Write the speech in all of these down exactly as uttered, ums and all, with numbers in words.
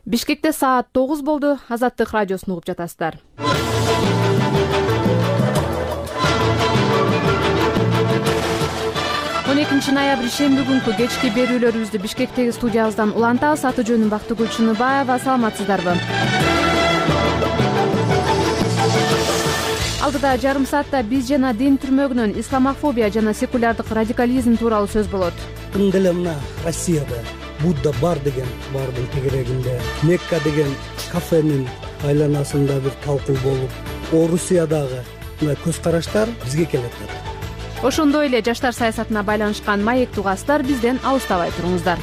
Бишкекте саат тогуз болду. Азаттык радиосун угуп жатасыздар. он экинчи ноябрь шемби күнкү кечки берүүлөрүбүздү Бишкектеги студиябыздан улантабыз. Аты жөнүм Бактыгүл Чыныбаева. Саламатсыздарбы? Алдыда жарым саатта биз жана дин түрмөгүнөн исламофобия жана секулярдык радикализм тууралуу сөз болот. Тың деле мына Россияда Будда бар деген бардын тегерегинде, Мекка деген кафенин айланасында бир талкуу болуп, Орусиядагы мына көз караштар бизге келет. Ошондой эле жаштар саясатына байланышкан маектүү угаздар бизден алыстабай туруңуздар.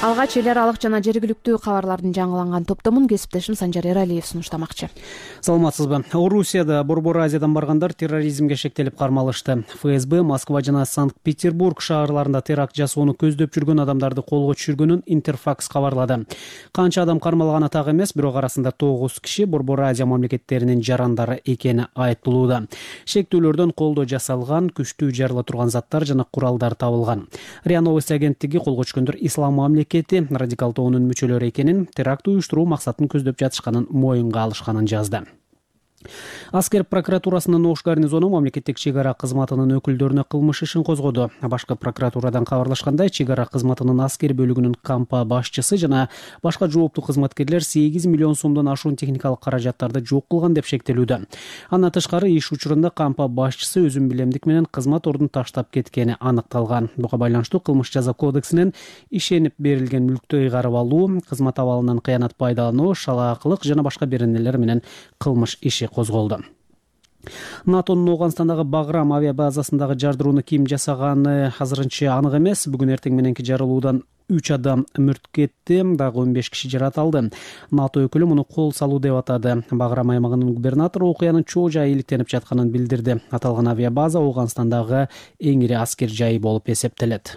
Алгач эл аралык жана жергиликтүү кабарлардын жаңыланган топтомун кесиптешим Санжар Эралиев сунуштамакчы. Саламатсызбы? Орусияда Борбор Азиядан баргандар терроризмге шектелип кармалышты. ФСБ Москва жана Санкт-Петербург шаарларында теракт жасоону көздөп жүргөн адамдарды колго түшүргөнүн Интерфакс кабарлады. Канча адам кармалганы так эмес, бирок арасында тогуз киши Борбор Азия мамлекеттеринин жарандары экени айтылууда. Шектүүлөрдөн колдо жасалган, күчтүү жарыла турган заттар жана куралдар табылган. РИА Новости агенттиги колго түшкөндөр ислам мамлекети радикал тоонун мүчөлөрү экенин, теракт уюштуруу максатын көздөп жатышканын моюнга алышканын жазды. Аскер прокуратурасынын Ош гарнизону мамлекеттик чек ара кызматынын өкүлдөрүнө кылмыш ишин козгоду. Башкы прокуратурадан кабарлашкандай, чек ара кызматынын аскер бөлүгүнүн кампа башчысы жана башка жооптуу кызматкерлер сегиз миллион сомдон ашуун техникалык каражаттарды жок кылган деп шектелүүдө. Андан тышкары иш учурунда кампа башчысы өзүн билемдик менен кызмат ордун таштап кеткени аныкталган. Буга байланыштуу кылмыш жаза кодексинин ишенип берилген мүлктү ыйгарып алуу, кызмат абалынан кыянат пайдалануу, шалаакылык жана башка беренелер менен кылмыш иши козголду. НАТОнун Ооганстандагы Баграм авиабазасындагы жардырууну ким жасаганы азырынча анык эмес. Бүгүн эртең мененки жарылуудан үч адам мүрт кетти, дагы он беш киши жаратылды. НАТО өкүлү муну кол салуу деп атады. Баграм аймагынын губернатору окуянын чоо жайы иликтенип жатканын билдирди. Аталган авиабаза Ооганстандагы эң ири аскер жайы болуп эсептелет.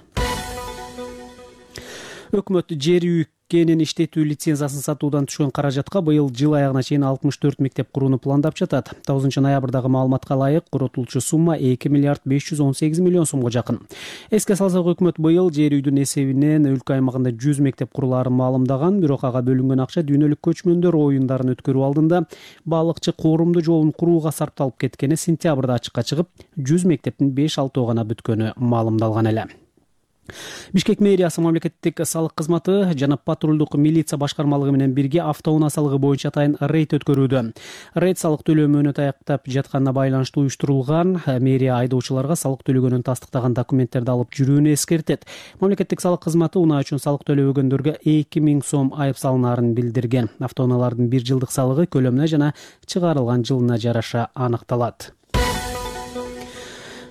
Өкмөт жер үй кенин иштетүү лицензиясын сатуудан түшкөн каражатка быйыл жыл аягына чейин алтымыш төрт мектеп курууну пландап жатат. тогузунчу ноябрдагы маалыматка ылайык, коротулчу сумма эки миллиард беш жүз он сегиз миллион сомго жакын. Эске салсак, өкмөт быйыл жер үйдүн эсебинен өлкө аймагында жүз мектеп курулаарын маалымдаган, бирок ага бөлүнгөн акча дүйнөлүк көчмөндөр оюндарын өткөрүү алдында балыкчы коорумду жолун курууга сарпталып кеткени сентябрда ачыкка чыгып, жүз мектептин беш алтоо гана бүткөнү маалымдалган эле. Бишкек мэриясы мамлекеттик салык кызматы жана патрулдук милиция башкармалыгы менен бирге автоунаа салыгы боюнча атайын рейд өткөрүүдө. Рейд салык төлөө мөөнөтү аяктап жатканына байланыштуу уюштурулган. Мэрия айдоочуларга салык төлөгөнүн тастыктаган документтерди алып жүрүүнү эскертет. Мамлекеттик салык кызматы унаа үчүн салык төлөбөгөндөргө эки миң сом айып салынаарын билдирген. Автоунаалардын бир жылдык салыгы көлөмүнө жана чыгарылган жылына жараша аныкталат.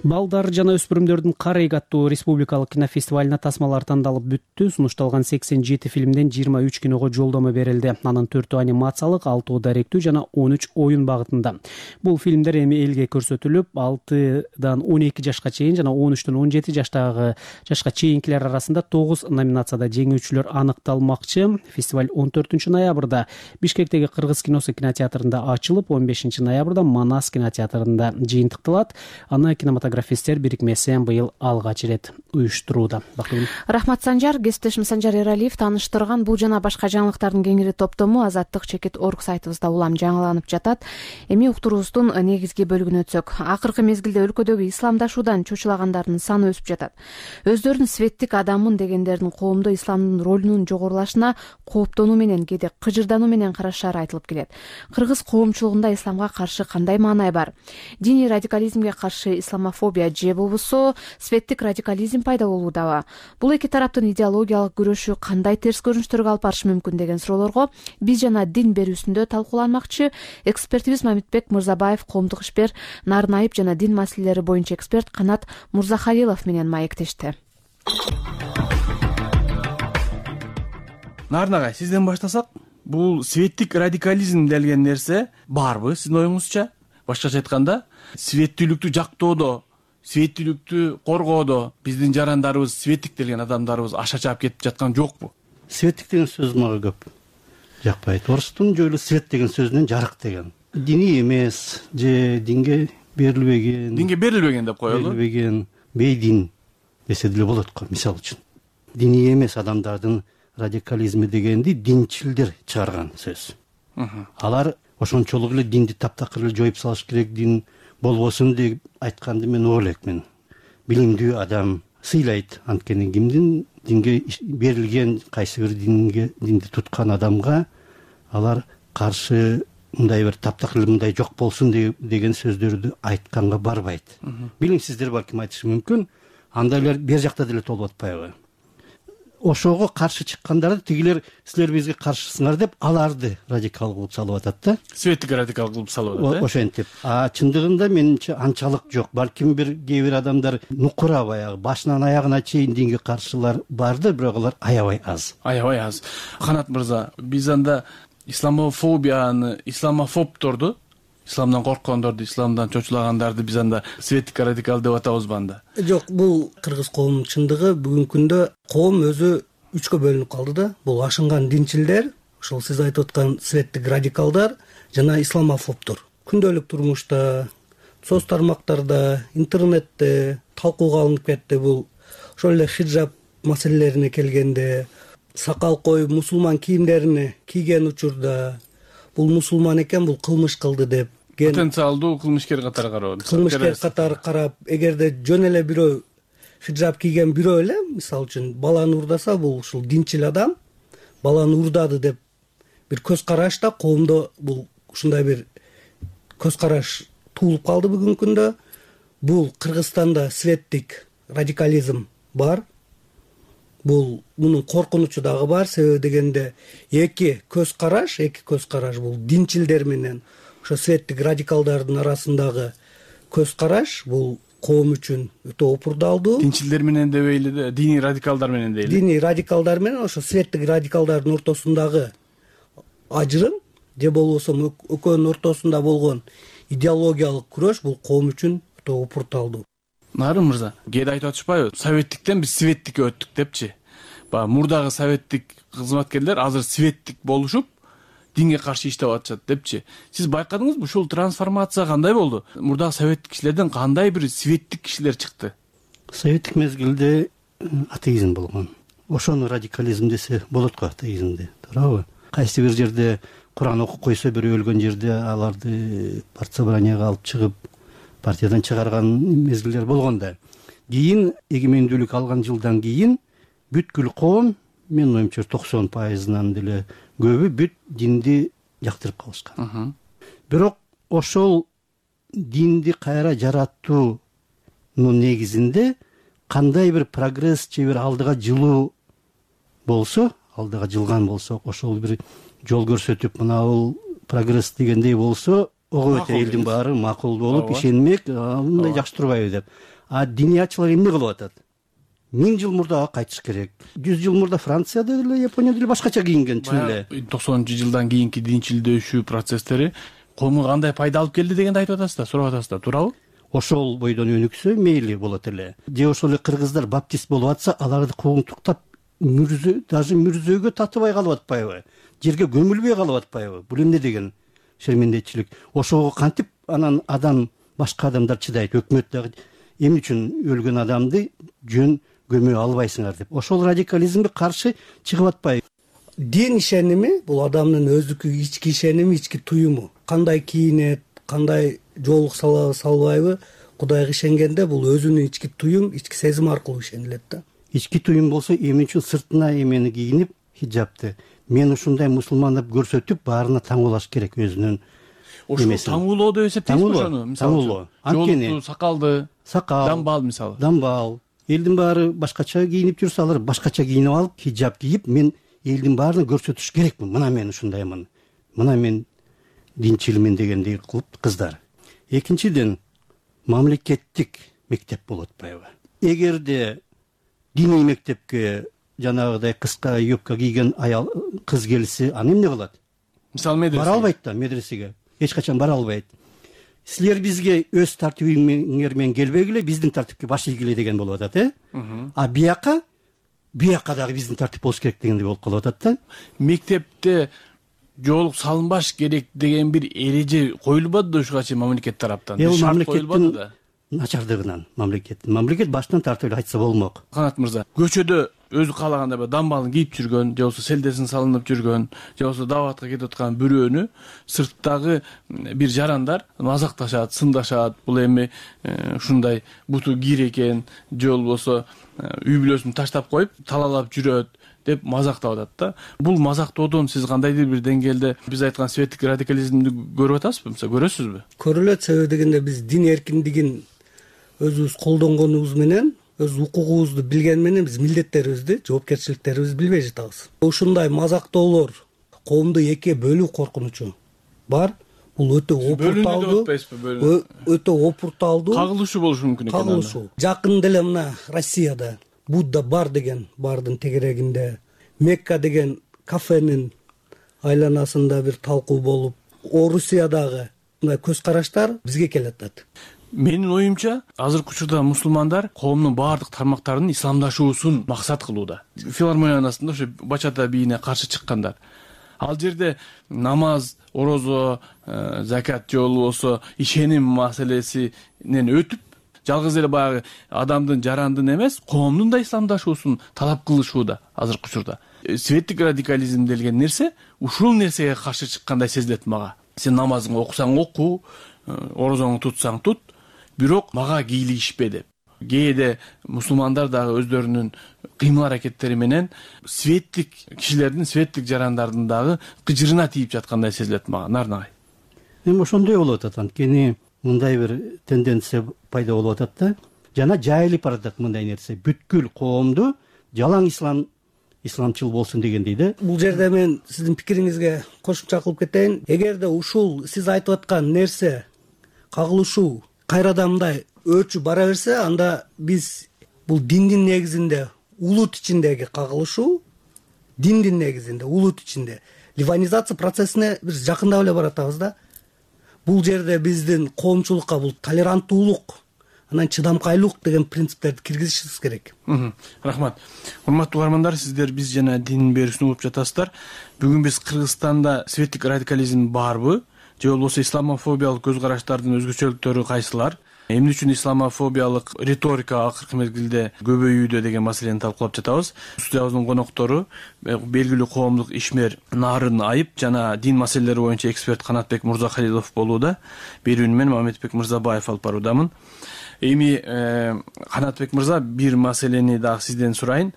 Балдар жана өспүрүмдөрдүн Карейг аттуу республикалык кинофестивалына тасмалар тандалып бүттү. Сунушталган сексен жети фильмден жыйырма үч киного жолдомо берилди. Анын төртөө анимациялык, алтоо даректүү жана он үч оюн багытында. Бул фильмдер эми элге көрсөтүлүп, алтыдан он эки жашка чейин жана он үчтөн он жети жаштагы жашка чейинкилер арасында тогуз номинацияда жеңүүчүлөр аныкталмакчы. Фестиваль он төртүнчү ноябрда Бишкектеги Кыргыз киносу кинотеатрында ачылып, он бешинчи ноябрда Манас кинотеатрында жыйынтыкталат. Аны кинематографисттер бирикмеси быйыл алгач ирет уюштурууда. Рахмат Санжар. Кесиптешим Санжар Эралиев тааныштырган бул жана башка жаңылыктардын кеңири топтому Азаттык чекит орг сайтыбызда улам жаңыланып жатат. Эми уктуруубуздун негизги бөлүгүнө өтсөк, акыркы мезгилде өлкөдөгү исламдашуудан чочулагандардын саны өсүп жатат. Өздөрүн светтик адаммын дегендердин коомдо исламдын ролунун жогорулашына кооптонуу менен, кээде кыжырдануу менен карашары айтылып келет. Кыргыз коомчулугунда исламга каршы кандай маанай бар? Диний радикализмге каршы исламофобия же болбосо светтик радикализм пайда болуудабы? Бул эки тараптын идеологиялык күрөшү кандай терс көрүнүштөргө алып барышы мүмкүн деген суроолорго биз жана дин берүүсүндө талкууланмакчы. Экспертибиз Мамитбек Мырзабаев коомдук ишмер, нарын айып жана дин маселелери боюнча эксперт Канат Мурзахалилов менен маектешти. Нарын агай, сизден баштасак, бул светтик радикализм деген нерсе барбы сиздин оюңузча? Башкача айтканда, светтүүлүктү жактоодо, светтүүлүктү коргоодо биздин жарандарыбыз, светтик деген адамдарыбыз аша чаап кетип жаткан жокпу? Светтик деген сөз мага көп жакпайт. Орустун жолу свет деген сөзүнөн жарык деген. Диний эмес же динге берилбеген. Динге берилбеген деп коелу. Берилбеген бейдин десе деле болот го, мисалы үчүн. Диний эмес адамдардын радикализми дегенди динчилдер чыгарган сөз. Алар ошончолук эле динди таптакыр эле жоюп салыш керек, дин болбосун деп айтканды мен оолекмин. Билимдүү адам сыйлайт, анткени кимдин динге берилген, кайсы бир динге динди туткан адамга алар каршы мындай бир таптакыр эле мындай жок болсун деген сөздөрдү айтканга барбайт. Билимсиздер балким айтышы мүмкүн, андайлар бер жакта деле толуп атпайбы? Ошого каршы чыккандарды тигилер силер бизге каршысыңар деп аларды радикал кылып салып атат да. Светтик радикал кылып салып атат. Ошентип. А чындыгында менимче анчалык жок. Балким бир кээ бир адамдар нукура баягы башынан аягына чейин динге каршылар барды, бирок алар аябай аз. Аябай аз. Канат мырза, биз анда исламофобияны, исламофобторду, исламдан корккондорду, исламдан чочулагандарды биз анда светтик радикал деп атабызбы анда? Жок, бул кыргыз коомунун чындыгы бүгүнкү күндө коом өзү үчкө бөлүнүп калды да. Бул ашынган динчилдер, ошол сиз айтып аткан светтик радикалдар жана исламофобтор. Күндөлүк турмушта, соц тармактарда, интернетте талкууга алынып кетти. Бул ошол эле хиджаб маселелерине келгенде, сакал коюп мусулман кийимдерини кийген учурда бул мусулман экен, бул кылмыш кылды деп потенциалдуу кылмышкер катары карап, кылмышкер катары карап, эгерде жөн эле бирөө хиджаб кийген бирөө эле мисалы үчүн баланы урдаса, бул ушул динчил адам баланы урдады деп бир көз караш да коомдо бул ушундай бир көз караш туулуп калды бүгүнкү күндө. Бул Кыргызстанда светтик радикализм бар. Бул мунун коркунучу дагы бар. Себеби дегенде эки көз караш, эки көз караш бул динчилдер менен ошо светтик радикалдардын арасындагы көз караш бул коом үчүн өтө опурдалдуу. Динчилдер менен дебейли да, диний радикалдар менен дейли. Диний радикалдар менен ошо светтик радикалдардын ортосундагы ажырым же болбосо экөөнүн ортосунда болгон идеологиялык күрөш бул коом үчүн өтө опурталдуу. Нарын мырза, кээде айтып атышпайбы? Советтиктен биз светтикке өттүк депчи. Баягы мурдагы советтик кызматкерлер азыр светтик болушуп, динге каршы иштеп атышат депчи. Сиз байкадыңызбы, ушул трансформация кандай болду? Мурдагы советтик кишилерден кандай бир светтик кишилер чыкты? Советтик мезгилде атеизм болгон. Ошону радикализм десе болот го, атеизмди, туурабы? Кайсы бир жерде Куран окуп койсо, бирөө өлгөн жерде аларды партсобранияга алып чыгып партиядан чыгарган мезгилдер болгон да. Кийин эгемендүүлүк алган жылдан кийин бүткүл коом, менин оюмча токсон пайызынан деле көбү бүт динди жактырып калышкан. Бирок ошол динди кайра жараттуунун негизинде кандай бир прогресс же бир алдыга жылуу болсо, алдыга жылган болсо, ошол бир жол көрсөтүп, мына бул прогресс дегендей болсо, ого өтө элдин баары макул болуп ишенмек, мындай жакшы турбайбы деп. А диниятчылар эмне кылып атат? Миң жыл мурдага кайтыш керек. Жүз жыл мурда Францияда деле, Японияда деле башкача кийинген, чын эле. токсонунчу жылдан кийинки динчилдөөшүү процесстери коомго кандай пайда алып келди дегенди айтып атасыз да, сурап атасыз да, туурабы? Ошол бойдон өнүксө мейли болот эле. Же ошол эле кыргыздар баптист болуп атса, аларды куугунтуктап мүрзө, даже мүрзөгө татыбай калып атпайбы? Жерге көмүлбөй калып атпайбы? Бул эмне деген шермендечилик? Ошого кантип анан адам, башка адамдар чыдайт? Өкмөт дагы эмне үчүн өлгөн адамды жөн көмө албайсыңар деп. Ошол радикализмге каршы чыгып атпайбы? Дин ишеними бул адамдын өздүкү ички ишеними, ички туюму. Кандай кийинет, кандай жоолук салабы салбайбы, Кудайга ишенгенде бул өзүнүн ички туюм, ички сезим аркылуу ишенилет да. Ички туюм болсо, эмне үчүн сыртына эмени кийинип, хиджабты мен ушундай мусулман деп көрсөтүп, баарына таңуулаш керек өзүнүн. Ошол таңуулоо деп эсептейсизби ошону? Мисалы, жолукту, сакалды, сакал, дамбал мисалы. Дамбал. Элдин баары башкача кийинип жүрсө, алар башкача кийинип алып, хиджаб кийип, мен элдин баарына көрсөтүш керекмин. Мына мен ушундаймын. Мына мен динчилмин дегендей кылып кыздар. Экинчиден, мамлекеттик мектеп болуп атпайбы? Эгерде диний мектепке жанагыдай кыска юбка кийген аял кыз келсе, аны эмне кылат? Мисалы медресе. Бара албайт да медресеге. Эч качан бара албайт. Силер бизге өз тартибиңер менен келбегиле, биздин тартипке баш ийгиле деген болуп атат, э? А бияка, бияка дагы биздин тартип болуш керек дегендей болуп калып атат да. Мектепте жоолук салынбаш керек деген бир эреже коюлбады да ушуга чейин мамлекет тараптан. Бул мамлекеттин начардыгынан мамлекеттин мамлекет башынан тартып эле айтса болмок. Канат мырза, көчөдө өзү каалагандай бир дамбалын кийип жүргөн, же болбосо селдесин салынып жүргөн, же болбосо дааватка кетип аткан бирөөнү сырттагы бир жарандар мазакташат, сындашат. Бул эми ушундай буту кир экен, же болбосо үй бүлөсүн таштап коюп талаалап жүрөт деп мазактап атат да. Бул мазактоодон сиз кандайдыр бир деңгээлде биз айткан светтик радикализмди көрүп атасызбы, мисалы көрөсүзбү? Көрүлөт. Себеби дегенде биз дин эркиндигин өзүбүз колдонгонубуз менен, өз укугубузду билген менен биз милдеттерибизди, жоопкерчиликтерибизди билбей жатабыз. Ушундай мазактоолор коомду экиге бөлүү коркунучу бар. Бул өтө опурталдуу, өтө опурталдуу кагылышуу болушу мүмкүн экен. Кагылышуу. Жакын деле мына Россияда Будда бар деген бардын тегерегинде, Мекка деген кафенин айланасында бир талкуу болуп, Орусиядагы мына көз караштар бизге келатат. Менин оюмча, азыркы учурда мусулмандар коомдун баардык тармактарынын исламдашуусун максат кылууда. Филармониянасында ошо бачата бийине каршы чыккандар. Ал жерде намаз, орозо, закат же болбосо ишеним маселесинен өтүп, жалгыз эле баягы адамдын, жарандын эмес, коомдун да исламдашуусун талап кылышууда азыркы учурда. Светтик радикализм деген нерсе ушул нерсеге каршы чыккандай сезилет мага. Сен намазыңды окусаң оку, орозоңду тутсаң тут, бирок мага кийлигишпе деп. Кээде мусулмандар дагы өздөрүнүн кыймыл аракеттери менен светтик кишилердин, светтик жарандардын дагы кыжырына тийип жаткандай сезилет мага. Нарнагай. Эми ошондой болуп атат. Анткени мындай бир тенденция пайда болуп атат да. Жана жайылып баратат мындай нерсе. Бүткүл коомду жалаң ислам исламчыл болсун дегендей да. Бул жерде мен сиздин пикириңизге кошумча кылып кетейин. Эгерде ушул сиз айтып аткан нерсе кагылышуу кайрадан мындай өчү бара берсе, анда биз бул диндин негизинде, улут ичиндеги кагылышуу, диндин негизинде, улут ичинде ливанизация процессине биз жакындап эле баратабыз да. Бул жерде биздин коомчулукка бул толеранттуулук, анан чыдамкайлык деген принциптерди киргизишибиз керек. Рахмат. Урматтуу угармандар, сиздер биз жана дин берүүсүн угуп жатасыздар. Бүгүн биз Кыргызстанда светтик радикализм барбы, же болбосо исламофобиялык көз караштардын өзгөчөлүктөрү кайсылар? Эмне үчүн исламофобиялык риторика акыркы мезгилде көбөйүүдө деген маселени талкуулап жатабыз. Студиябыздын коноктору белгилүү коомдук ишмер Нарын Айып жана дин маселелери боюнча эксперт Канатбек Мурзахалилов болууда. Берүүнү мен Мамедбек Мырзабаев алып баруудамын. Эми Канатбек мырза, бир маселени дагы сизден сурайын.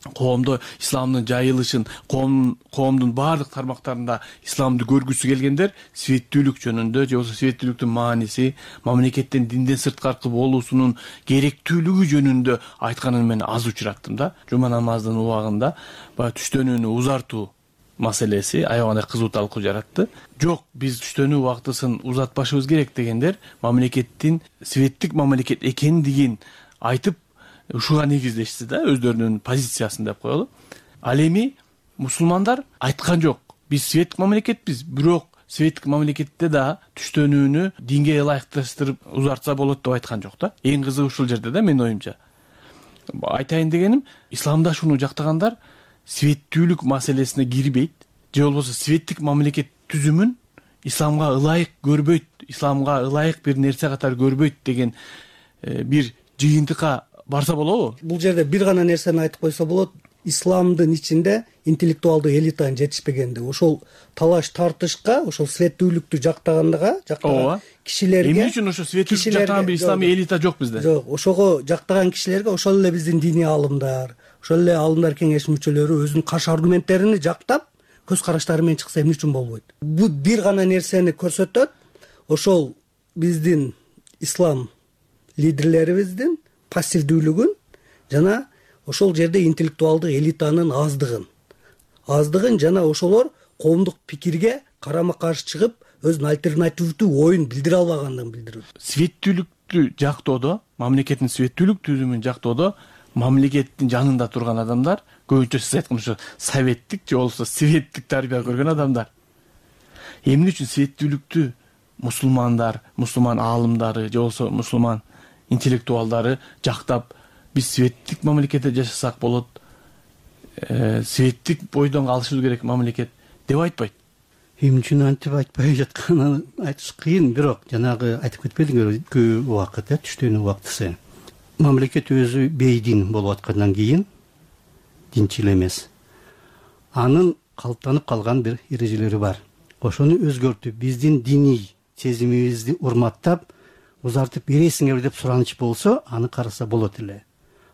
Коомдо исламдын жайылышын, коом коомдун баардык тармактарында исламды көргүсү келгендер светтүүлүк жөнүндө, же болбосо светтүүлүктүн мааниси, мамлекеттин динден сырткаркы болуусунун керектүүлүгү жөнүндө айтканын мен аз учураттым да. Жума намазынын убагында баягы түштөнүүнү узартуу маселеси аябагандай кызуу талкуу жаратты. Жок, биз түштөнүү убактысын узатпашыбыз керек дегендер мамлекеттин светтик мамлекет экендигин айтып ушуга негиздешти да, өздөрүнүн позициясын деп коелу. Ал эми мусулмандар айткан жок, биз светтик мамлекетпиз, бирок светтик мамлекетте да түштөнүүнү динге ылайыкташтырып узартса болот деп айткан жок да. Эң кызыгы ушул жерде да, менин оюмча. Айтайын дегеним, исламдашууну жактагандар светтүүлүк маселесине кирбейт, же болбосо светтик мамлекет түзүмүн исламга ылайык көрбөйт, исламга ылайык бир нерсе катары көрбөйт деген бир жыйынтыкка барса болобу? Бул жерде бир гана нерсени айтып койсо болот. Исламдын ичинде интеллектуалдуу элитанын жетишпегенди. Ошол талаш тартышка, ошол светтүүлүктү жактагандыга, жактаган кишилерге. Эмне үчүн ошо светтүүлүктү жактаган бир исламий элита жок бизде? Жок, ошого жактаган кишилерге ошол эле биздин диний аалымдар, ошол эле аалымдар кеңеши мүчөлөрү өзүнүн каршы аргументтерин жактап, көз караштары менен чыкса эмне үчүн болбойт? Бул бир гана нерсени көрсөтөт. Ошол биздин ислам лидерлерибиздин пассивдүүлүгүн жана ошол жерде интеллектуалдык элитанын аздыгын аздыгын жана ошолор коомдук пикирге карама каршы чыгып өзүнүн альтернативдүү оюн билдире албагандыгын билдирет. Светтүүлүктү жактоодо, мамлекеттин светтүүлүк түзүмүн жактоодо мамлекеттин жанында турган адамдар, көбүнчө сиз айткан ошо советтик же болбосо светтик тарбия көргөн адамдар. Эмне үчүн светтүүлүктү мусулмандар, мусулман аалымдары же болбосо мусулман интеллектуалдары жактап, биз светтик мамлекетте жашасак болот, светтик бойдон калышыбыз керек мамлекет деп айтпайт? эмне үчүн антип айтпай жатканын айтыш кыйын, бирок жанагы айтып кетпедиңерби, көп убакыт, э, түштүнүн убактысы. Мамлекет өзү бейдин болуп аткандан кийин динчил эмес. Анын калыптанып калган бир эрежелери бар. Ошону өзгөртүп, биздин диний сезимибизди урматтап, узартып бересиңерби деп сураныч болсо, аны караса болот эле.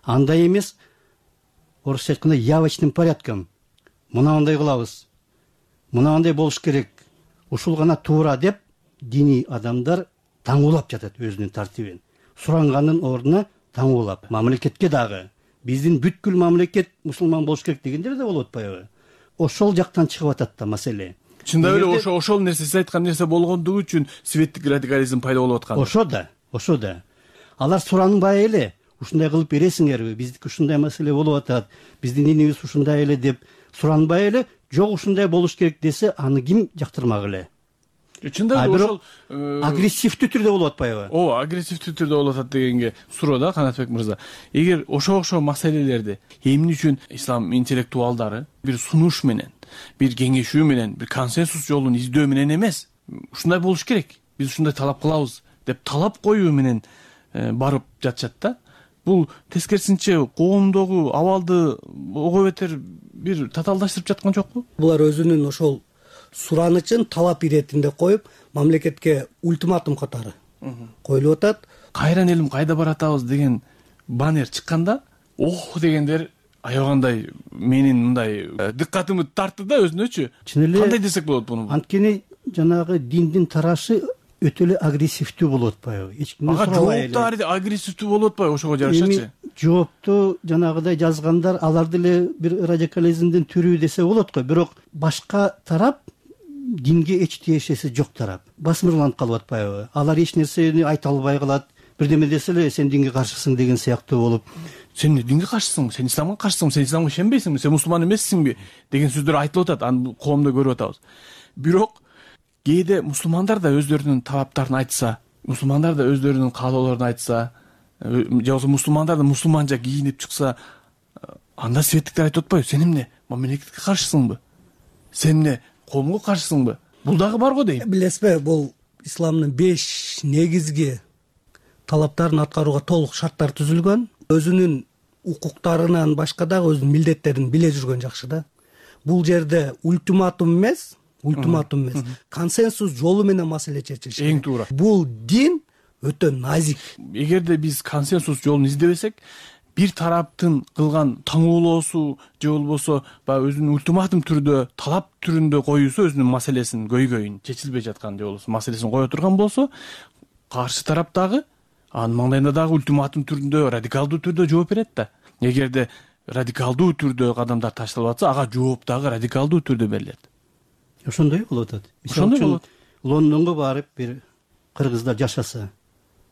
Андай эмес, орусча айтканда явочным порядком. Мынандай кылабыз. Мынандай болуш керек. Ушул гана туура деп диний адамдар таңуулап жатат өзүнүн тартибин. Суранганын ордуна таңуулап, мамлекетке дагы биздин бүткүл мамлекет мусулман болуш керек дегендер да болуп атпайбы? Ошол жактан чыгып атат да маселе. Чындап эле ошо ошол нерсе, сиз айткан нерсе болгондугу үчүн светтик радикализм пайда болуп аткан. Ошо да, ошо да. Алар суранбай эле, ушундай кылып бересиңерби? Биздики ушундай маселе болуп атат. Биздин динибиз ушундай эле деп суранбай эле, жок ушундай болуш керек десе, аны ким жактырмак эле? Чындап эле ошол агрессивдүү түрдө болуп атпайбы? Ооба, агрессивдүү түрдө болуп атат дегенге суроо да, Канатбек мырза. Эгер ошо окшоо маселелерди эмне үчүн ислам интеллектуалдары бир сунуш менен, бир кеңешүү менен, бир консенсус жолун издөө менен эмес, ушундай болуш керек, биз ушундай талап кылабыз деп талап коюу менен барып жатышат да. Бул тескерисинче коомдогу абалды ого бетер бир татаалдаштырып жаткан жокпу? Булар өзүнүн ошол суранычын талап иретинде коюп, мамлекетке ультиматум катары коюлуп атат. Кайран элим кайда баратабыз деген баннер чыкканда, ох дегендер аябагандай менин мындай диккатымды тартты да өзүнөчү. Кандай десек болот буну? Анткени жанагы диндин тарашы өтө эле агрессивдүү болуп атпайбы? Эч кимден сурабай эле. Жоопту агрессивдүү болуп атпайбы ошого жарашачы? Жоопту жанагыдай жазгандар, алар деле бир радикализмдин түрү десе болот го, бирок башка тарап динге эч тиешеси жок тарап басмырланып калып атпайбы? Алар эч нерсени айта албай калат. Бирдеме десе эле сен динге каршысың деген сыяктуу болуп, сен динге каршысың, сен исламга каршысың, сен исламга ишенбейсиңби, сен мусулман эмессиңби деген сөздөр айтылып атат. Аны коомдо көрүп атабыз. Бирок кээде мусулмандар да өздөрүнүн талаптарын айтса, мусулмандар да өздөрүнүн каалоолорун айтса, же болбосо мусулмандар да мусулманча кийинип чыкса, анда светтиктер айтып атпайбы? Сен эмне мамлекетке каршысыңбы? Сен эмне коомго каршысыңбы? Бул дагы бар го дейм. Билесизби, бул исламдын беш негизги талаптарын аткарууга толук шарттар түзүлгөн. Өзүнүн укуктарынан башка дагы өзүнүн милдеттерин биле жүргөн жакшы да. Бул жерде ультиматум эмес, ультиматум эмес, консенсус жолу менен маселе чечилиш керек. Эң туура. Бул дин өтө назик. Эгерде биз консенсус жолун издебесек, бир тараптын кылган таңуулоосу же болбосо баягы өзүнүн ультиматум түрдө, талап түрүндө коюусу өзүнүн маселесин, көйгөйүн, чечилбей жаткан же болбосо маселесин кое турган болсо, каршы тарап дагы анын маңдайында дагы ультиматум түрүндө, радикалдуу түрдө жооп берет да. Эгерде радикалдуу түрдө кадамдар ташталып атса, ага жооп дагы радикалдуу түрдө берилет. Ошондой болуп атат. Ошондой болот. Лондонго барып бир кыргыздар жашаса,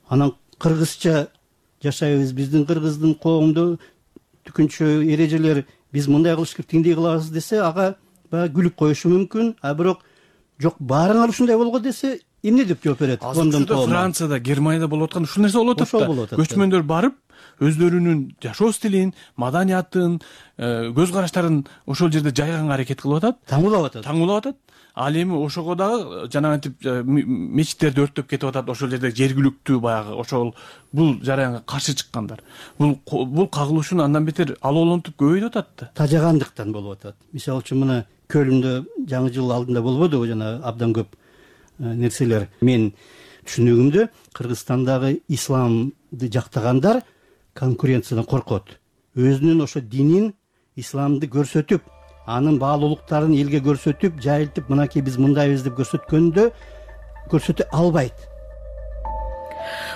анан кыргызча жашайбыз, биздин кыргыздын коомдо түкүнчө эрежелер, биз мындай кылыш керек, тиндей кылабыз десе, ага баягы күлүп коюшу мүмкүн. А бирок жок, баарыңар ушундай болгон десе, эмне деп жооп берет? Лондон коому, Францияда, Германияда болуп аткан ушул нерсе болуп атат да. Көчмөндөр барып, өздөрүнүн жашоо стилин, маданиятын, көз караштарын ошол жерде жайганга аракет кылып атат, таңуулап атат. Таңуулап атат. Ал эми ошого дагы жанагынтип мечиттерди өрттөп кетип атат, ошол жерде жергиликтүү баягы ошол бул жараянга каршы чыккандар. Бул бул кагылышууну андан бетер алоолонтуп көбөйтүп атат да. Тажагандыктан болуп атат. Мисалы үчүн мына Көлүндө жаңы жыл алдында болбодубу жана абдан көп нерселер. Мен түшүнүгүмдө Кыргызстандагы исламды жактагандар конкуренциядан коркот. Өзүнүн ошо динин, исламды көрсөтүп, анын баалуулуктарын элге көрсөтүп, жайылтып, мынакей биз мындайбыз деп көрсөткөндө көрсөтө албайт.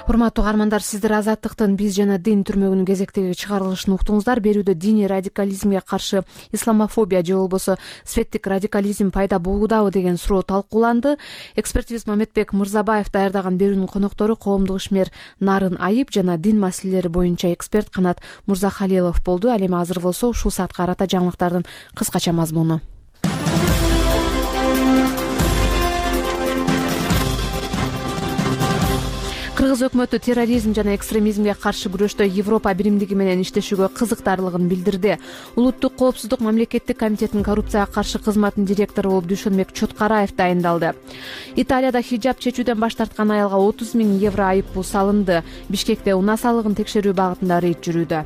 Урматтуу угармандар, сиздер Азаттыктын биз жана дин түрмөгүнүн кезектеги чыгарылышын уктуңуздар. Берүүдө диний радикализмге каршы исламофобия же болбосо светтик радикализм пайда болуудабы деген суроо талкууланды. Экспертибиз Мамедбек Мырзабаев даярдаган берүүнүн коноктору коомдук ишмер Нарын Айып жана дин маселелери боюнча эксперт Канат Мырзахалилов болду. Ал эми азыр болсо ушул саатка карата жаңылыктардын кыскача мазмуну. Кыргыз өкмөтү терроризм жана экстремизмге каршы күрөштө Европа биримдиги менен иштешүүгө кызыктарлыгын билдирди. Улуттук коопсуздук мамлекеттик комитетинин коррупцияга каршы кызматынын директору болуп Дүйшөнбек Чоткараев дайындалды. Италияда хиджаб чечүүдөн баш тарткан аялга отуз миң евро айыппул салынды. Бишкекте унаа салыгын текшерүү багытында рейд жүрүүдө.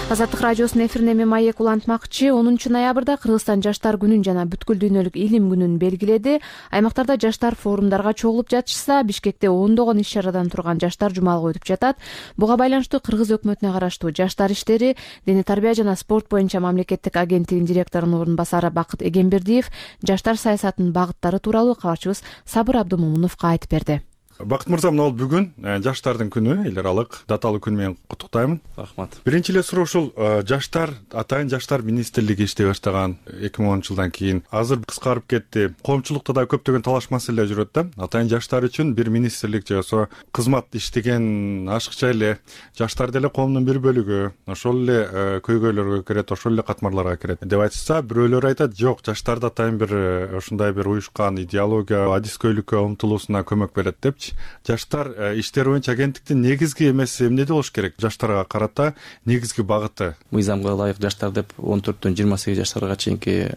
Азаттык радиосунун эфирине мен Маек улантмакчы. онунчу ноябрда Кыргызстан жаштар күнүн жана бүткүл дүйнөлүк илим күнүн белгиледи. Аймактарда жаштар форумдарга чогулуп жатышса, Бишкекте ондогон иш чарадан турган жаштар жумалга өтүп жатат. Буга байланыштуу Кыргыз өкмөтүнө караштуу жаштар иштери, дене тарбия жана спорт боюнча мамлекеттик агенттигинин директорунун орун басары Бакыт Эгембердиев жаштар саясатынын багыттары тууралуу кабарчыбыз Сабыр Абдымомуновго айтып берди. Бакыт мырза, мына бүгүн жаштардын күнү, эл аралык даталык күн менен куттуктайм. Рахмат. Биринчи эле суроо ушул жаштар, атайын жаштар министрлиги иштей баштаган эки миң онунчу жылдан кийин азыр кыскарып кетти. Коомчулукта да көптөгөн талаш маселе жүрөт да. Атайын жаштар үчүн бир министрлик же болбосо кызмат иштеген ашыкча эле жаштар деле коомдун бир бөлүгү, ошол эле көйгөйлөргө кирет, ошол эле катмарларга кирет деп айтышса, бирөөлөр айтат, жок, жаштарды атайын бир ушундай бир уюшкан идеология, адискөйлүккө умтулуусуна көмөк берет деп. Жаштар иштери боюнча агенттиктин негизги эмеси эмнеде болуш керек? Жаштарга карата негизги багыты. Мыйзамга ылайык жаштар деп он төрттөн жыйырма сегиз жаштарга чейинки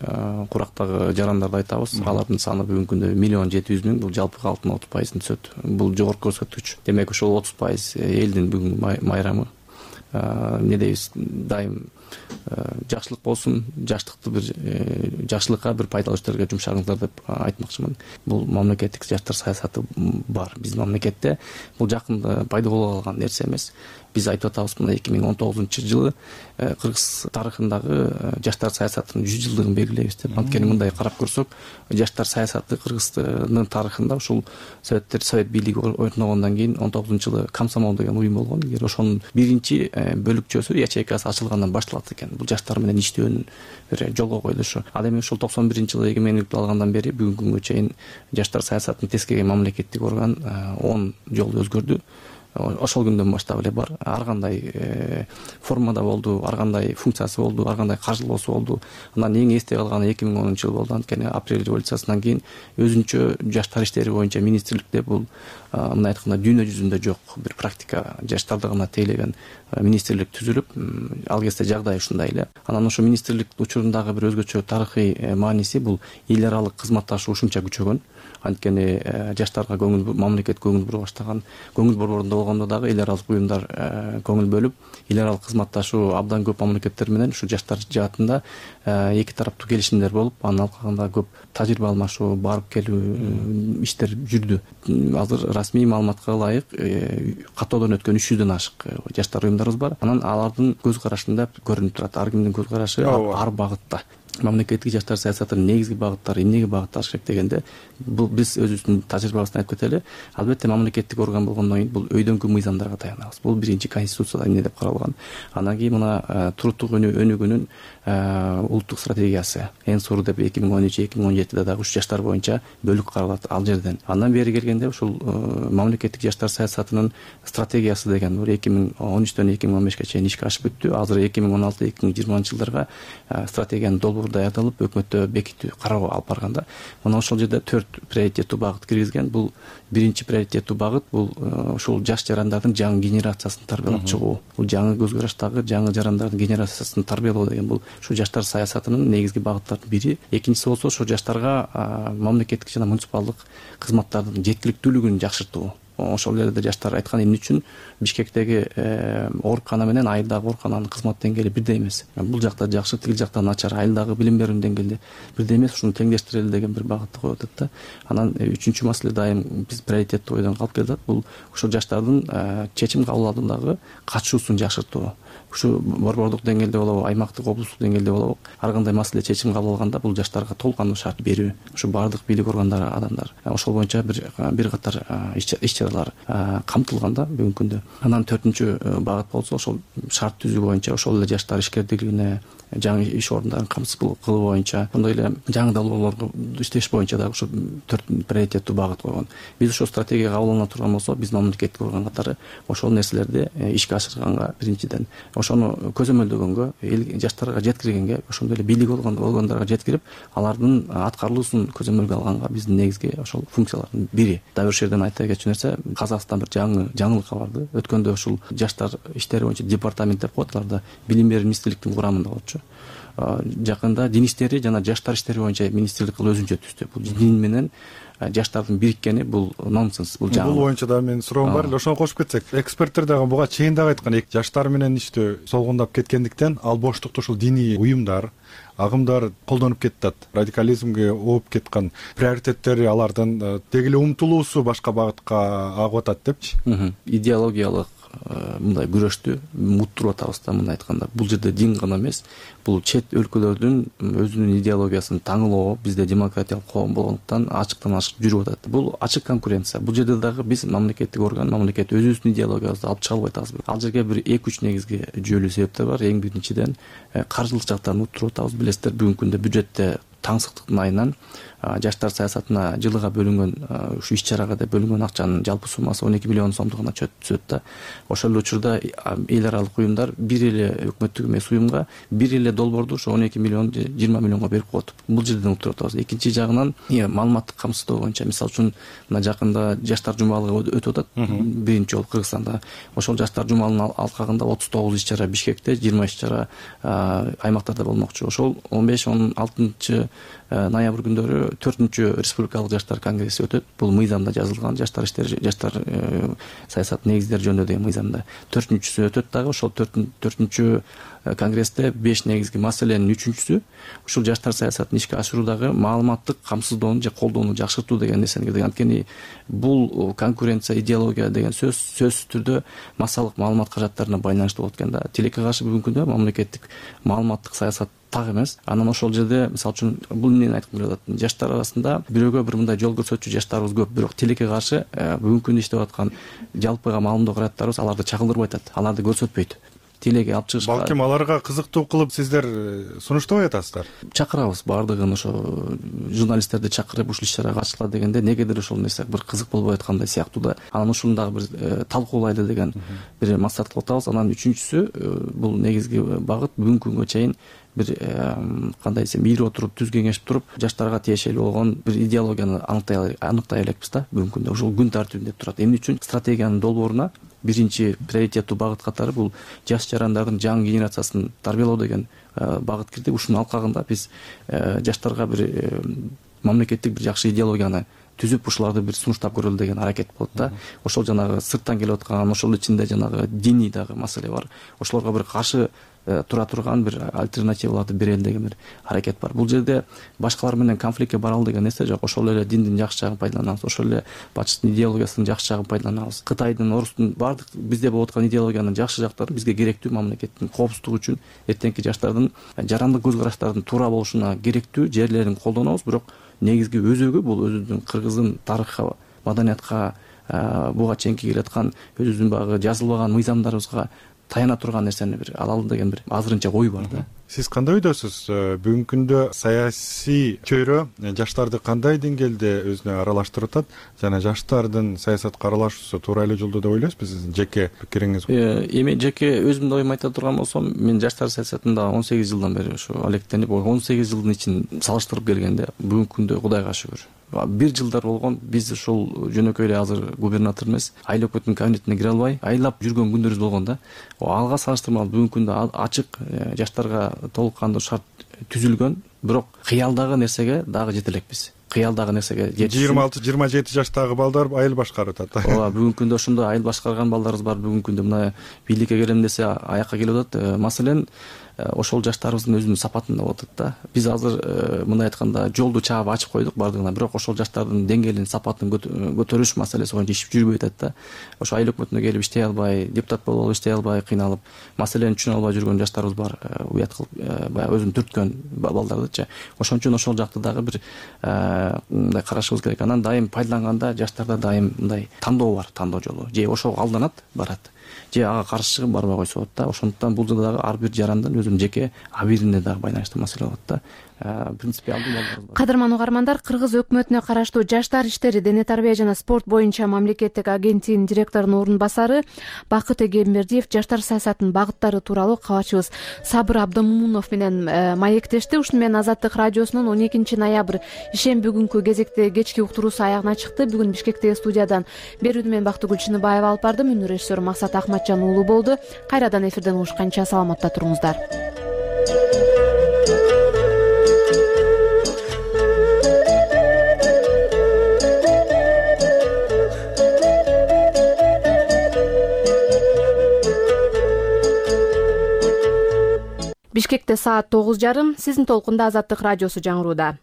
курактагы жарандарды айтабыз. Алардын саны бүгүнкү күндө миллион жети жүз миң, бул жалпы калктын отуз пайызын түзөт. Бул жогорку көрсөткүч. Демек ошол отуз пайыз элдин бүгүн майрамы. Эмне дейбиз, дайым жакшылык болсун, жаштыкты бир жакшылыкка бир пайдалуу иштерге жумшаңыздар деп айтмакчымын. Бул мамлекеттик жаштар саясаты бар биздин мамлекетте. Бул жакында пайда боло калган нерсе эмес. Биз айтып атабыз, мына эки миң он тогузунчу жылы Кыргыз тарыхындагы жаштар саясатынын жүз жылдыгын белгилейбиз деп. Анткени мындай карап көрсөк, жаштар саясаты Кыргыздын тарыхында ушул советтер совет бийлиги орногондон кийин он тогузунчу жылы комсомол деген уюм болгон. Эгер ошонун биринчи бөлүкчөсү, ячейкасы ачылгандан башталат экен. Бул жаштар менен иштөөнүн бир жолго коюлушу. Ал эми ушул токсон биринчи жылы эгемендикти алгандан бери бүгүнкү күнгө чейин жаштар саясатын тескерген мамлекеттик орган он жолу өзгөрдү. Ошол күндөн баштап эле бар. Ар кандай формада болду, ар кандай функциясы болду, ар кандай каржылоосу болду. Андан эң эсте калганы эки миң онунчу жыл болду. Анткени апрель революциясынан кийин өзүнчө жаштар иштери боюнча министрликте бул мындай айтканда дүйнө жүзүндө жок бир практика, жаштарды гана тейлеген министрлик түзүлүп, ал кезде жагдай ушундай эле. Анан ошо министрлик учурундагы бир өзгөчө тарыхый мааниси бул эл аралык кызматташуу ушунча күчөгөн. Анткени жаштарга көңүл мамлекет көңүл бура баштаган, көңүл борборунда болгондо дагы эл аралык уюмдар көңүл бөлүп, эл аралык кызматташуу абдан көп мамлекеттер менен ушу жаштар жаатында эки тараптуу келишимдер болуп, анын алкагында көп тажрыйба алмашуу, барып келүү иштер жүрдү. Азыр расмий маалыматка ылайык каттоодон өткөн үч жүздөн ашык жаштар уюмдарыбыз бар. Анан алардын көз карашында көрүнүп турат, ар кимдин көз карашы ар багытта. Мамлекеттик жаштар саясатынын негизги багыттары эмнеге багытталыш керек дегенде, бул биз өзүбүздүн тажрыйбабыздан айтып кетели. Албетте мамлекеттик орган болгондон кийин бул өйдөнкү мыйзамдарга таянабыз. Бул биринчи конституцияда эмне деп каралган. Андан кийин мына туруктук өнүгүүнүн улуттук стратегиясы эң сору деп эки миң он үч эки миң он жетиде дагы уш жаштар боюнча бөлүк каралат ал жерден. Андан бери келгенде ушул мамлекеттик жаштар саясатынын стратегиясы деген эки миң он үчтөн эки миң он бешке чейин ишке ашып бүттү. Азыр эки миң он алты эки миң жыйырманчы жылдарга стратегиянын долбоору даярдалып, өкмөттө бекитүү кароо алып барганда, мына ошол жерде төрт приоритеттүү багыт киргизген. Бул биринчи приоритеттүү багыт бул ушул жаш жарандардын жаңы генерациясын тарбиялап чыгуу. Бул жаңы көз караштагы жаңы жарандардын генерациясын тарбиялоо деген бул ушу жаштар саясатынын негизги багыттарынын бири. Экинчиси болсо ошо жаштарга мамлекеттик жана муниципалдык кызматтардын жеткиликтүүлүгүн жакшыртуу. Ошол жерде жаштар айткан эмне үчүн Бишкектеги оорукана менен айылдагы оорукананын кызмат деңгээли бирдей эмес. Бул жакта жакшы, тил жакта начар, айылдагы билим берүү деңгээли бирдей эмес, ушуну теңдештирели деген бир багытты коюп атат да. Анан үчүнчү маселе дайым биз приоритеттүү ойдон калып келатат. Бул ошол жаштардын чечим кабыл алуудагы катышуусун жакшыртуу. Ушу борбордук деңгээлде болобу, аймактык, облустук деңгээлде болобу, ар кандай маселе чечим кабыл алганда бул жаштарга толук кандуу шарт берүү. Ушу бардык бийлик органдары, адамдар ошол боюнча бир бир катар иш чаралар камтылганда бүгүнкү күндө. Анан төртүнчү багыт болсо ошол шарт түзүү боюнча, ошол эле жаштар ишкердиклигине, жаңы иш орундарын камсыз кылуу боюнча, ошондой эле жаңы долбоорлорго иштеш боюнча дагы ушу төрт приоритеттүү багыт койгон. Биз ошол стратегия кабыл алына турган болсо, биз мамлекеттик орган катары ошол нерселерди ишке ашырганга биринчиден ошону көзөмөлдөгөнгө, эл жаштарга жеткиргенге, ошондой эле бийлик болгондарга жеткирип, алардын аткарылуусун көзөмөлгө алганга биздин негизги ошол функциялардын бири. Дагы бир жерден айта кетчү нерсе, Казакстан бир жаңы жаңылыкка барды. Өткөндө ушул жаштар иштери боюнча департамент деп коет, аларда билим берүү министрликтин курамында болчу. Жакында дин иштери жана жаштар иштери боюнча министрлик кылып өзүнчө түздү. Бул дин менен жаштардын бириккени бул нонсенс, бул жаңы. Бул боюнча да менин суроом бар эле, ошону кошуп кетсек. Эксперттер дагы буга чейин дагы айткан, жаштар менен иштөө солгундап кеткендиктен ал боштукту ушул диний уюмдар, агымдар колдонуп кетет. Радикализмге ооп кеткен приоритеттери алардын деги эле умтулуусу башка багытка агып атат депчи. Идеологиялык мындай күрөштү муттуруп атабыз да, мындай айтканда. Бул жерде дин гана эмес, бул чет өлкөлөрдүн өзүнүн идеологиясын таңылоо, бизде демократиялык коом болгондуктан ачыктан ачык жүрүп атат. Бул ачык конкуренция. Бул жерде дагы биз мамлекеттик орган, мамлекет өзүбүздүн идеологиябызды алып чыга албай атабыз. Ал жерге бир эки үч негизги жүйөлүү себептер бар. Эң биринчиден каржылык жактан уттуруп атабыз. Билесиздер, бүгүнкү күндө бюджетте таңсыктыктын айынан жаштар саясатына жылга бөлүнгөн ушу иш-чарага деп бөлүнгөн акчанын жалпы суммасы он эки миллион сомдугуна түшөт да. Ошол эле учурда эл аралык уюмдар бир эле өкмөттүк эмес уюмга бир эле долбоорду ошо он эки миллион жыйырма миллионго берип коет. Бул жерден уктуруп атабыз. Экинчи жагынан маалыматтык камсыздоо боюнча, мисалы үчүн мына жакында жаштар жумалыгы өтүп атат, биринчи жолу Кыргызстанда. Ошол жаштар жумалынын алкагында отуз тогуз иш-чара Бишкекте, жыйырма иш-чара аймактарда болмокчу. Ошол он беш он алтынчы ноябрь күндөрү төртүнчү республикалык жаштар конгресси өтөт. Бул мыйзамда жазылган, жаштар иштери, жаштар саясат негиздери жөнүндө деген мыйзамда төртүнчүсү өтөт дагы. Ошол төртүнчү конгрессте беш негизги маселенин үчүнчүсү ушул жаштар саясатын ишке ашыруудагы маалыматтык камсыздоону же колдоону жакшыртуу деген нерсени киргизген. Анткени бул конкуренция, идеология деген сөз сөзсүз түрдө массалык маалымат каражаттарына байланыштуу болот экен да. Тилекке каршы бүгүнкү күндө мамлекеттик маалыматтык саясат так эмес. Анан ошол жерде мисалы үчүн бул эмнени айткым келип атат? Жаштар арасында бирөөгө бир мындай жол көрсөтчү жаштарыбыз көп, бирок тилекке каршы бүгүнкү күндө иштеп аткан жалпыга маалымдоо каражаттарыбыз аларды чагылдырбай атат, аларды көрсөтпөйт. Тилеги алып чыгышка балким аларга кызыктуу кылып сиздер сунуштабай атасыздар. Чакырабыз баардыгын, ошо журналисттерди чакырып ушул иш-чарага катышкыла дегенде негедир ошол нерсе бир кызык болбой аткандай сыяктуу да. Анан ушуну дагы бир талкуулайлы деген бир максат кылып атабыз. Анан үчүнчүсү бул негизги багыт бүгүнкү күнгө чейин бир кандай десем ири отуруп түз кеңешип туруп жаштарга тиешелүү болгон бир идеологияны аныктай аныктай элекпиз да бүгүнкү күндө. Ушул күн тартибинде турат. Эмне үчүн стратегиянын долбооруна биринчи приоритеттүү багыт катары бул жаш жарандардын жаңы генерациясын тарбиялоо деген багыт кирди. Ушунун алкагында биз жаштарга бир мамлекеттик бир жакшы идеологияны түзүп ушуларды бир сунуштап көрөлү деген аракет болот да. Ошол жанагы сырттан келип аткан, ошол ичинде жанагы диний дагы маселе бар. Ошолорго бир каршы тура турган бир альтернативаларды берели деген бир аракет бар. Бул жерде башкалар менен конфликтке баралы деген нерсе жок. Ошол эле диндин жакшы жагын пайдаланабыз, ошол эле батыштын идеологиясынын жакшы жагын пайдаланабыз. Кытайдын, орустун баардык бизде болуп аткан идеологиянын жакшы жактары бизге керектүү, мамлекеттин коопсуздугу үчүн, эртеңки жаштардын жарандык көз караштардын туура болушуна керектүү жерлерин колдонобуз. Бирок негизги өзөгү бул өзүбүздүн кыргыздын тарыхка, маданиятка, буга чейинки келаткан өзүбүздүн баягы жазылбаган мыйзамдарыбызга таяна турган нерсени бир алалы деген бир азырынча ой бар да. Сиз кандай ойдосуз? Бүгүнкү күндө саясий чөйрө жаштарды кандай деңгээлде өзүнө аралаштырып атат жана жаштардын саясатка аралашуусу туура эле жолдо деп ойлойсузбу? Сиздин жеке пикириңиз? Эми жеке өзүмдүн оюмду айта турган болсом, мен жаштар саясатында он сегиз жылдан бери ушу алектенип, он сегиз жылдын ичин салыштырып келгенде бүгүнкү күндө Кудайга шүгүр бир жылдар болгон биз ушул жөнөкөй эле азыр губернатор эмес, айыл өкмөттүн кабинетине кире албай айлап жүргөн күндөрүбүз болгон да. Алга салыштырмалуу бүгүнкү күндө ачык жаштарга толук кандуу шарт түзүлгөн, бирок кыялдагы нерсеге дагы жете элекпиз. Кыялдагы нерсеге жыйырма алты жыйырма жети жаштагы балдар айыл башкарып атат. Ооба, бүгүнкү күндө ошондой айыл башкарган балдарыбыз бар. Бүгүнкү күндө мына бийликке келем десе аякка келип атат. Маселен, ошол жаштарыбыздын өзүнүн сапатында болуп атат да. Биз азыр мындай айтканда жолду чаап ачып койдук бардыгына, бирок ошол жаштардын деңгээлин, сапатын көтөрүш маселеси боюнча иш жүрбөй атат да. Ошо айыл өкмөтүнө келип иштей албай, депутат болуп алып иштей албай кыйналып, маселени түшүнө албай жүргөн жаштарыбыз бар. Уят кылып баягы өзүн түрткөн балдардычы. Ошон үчүн ошол жакты дагы бир мындай карашыбыз керек. Анан дайым пайдаланганда жаштарда дайым мындай тандоо бар, тандоо жолу. Же ошого алданат, барат. же ага каршы чыгып барбай койсо болот да. Ошондуктан бул дагы ар бир жарандын өзүнүн жеке абийирине дагы байланыштуу маселе болот да. Принципиалдуу балдарыбыз бар. Кадырман угармандар, Кыргыз өкмөтүнө караштуу Жаштар иштери, дене тарбия жана спорт боюнча мамлекеттик агенттигинин директорунун орун басары Бакыт Эгембердиев жаштар саясатынын багыттары тууралуу кабарчыбыз Сабыр Абдымомунов менен маектешти. Ушуну менен Азаттык радиосунун он экинчи ноябрь ишемби күнкү кезекте кечки уктуруусу аягына чыкты. Бүгүн Бишкектеги студиядан берүүдү мен Бактыгүл Чыныбаева алып бардым. Үнү режиссеру Максат Ахматжан уулу болду. Кайрадан эфирден угушканча саламатта туруңуздар. Бишкекте саат тогуз жарым. Сиздин толкунда Азаттык радиосу жаңырууда.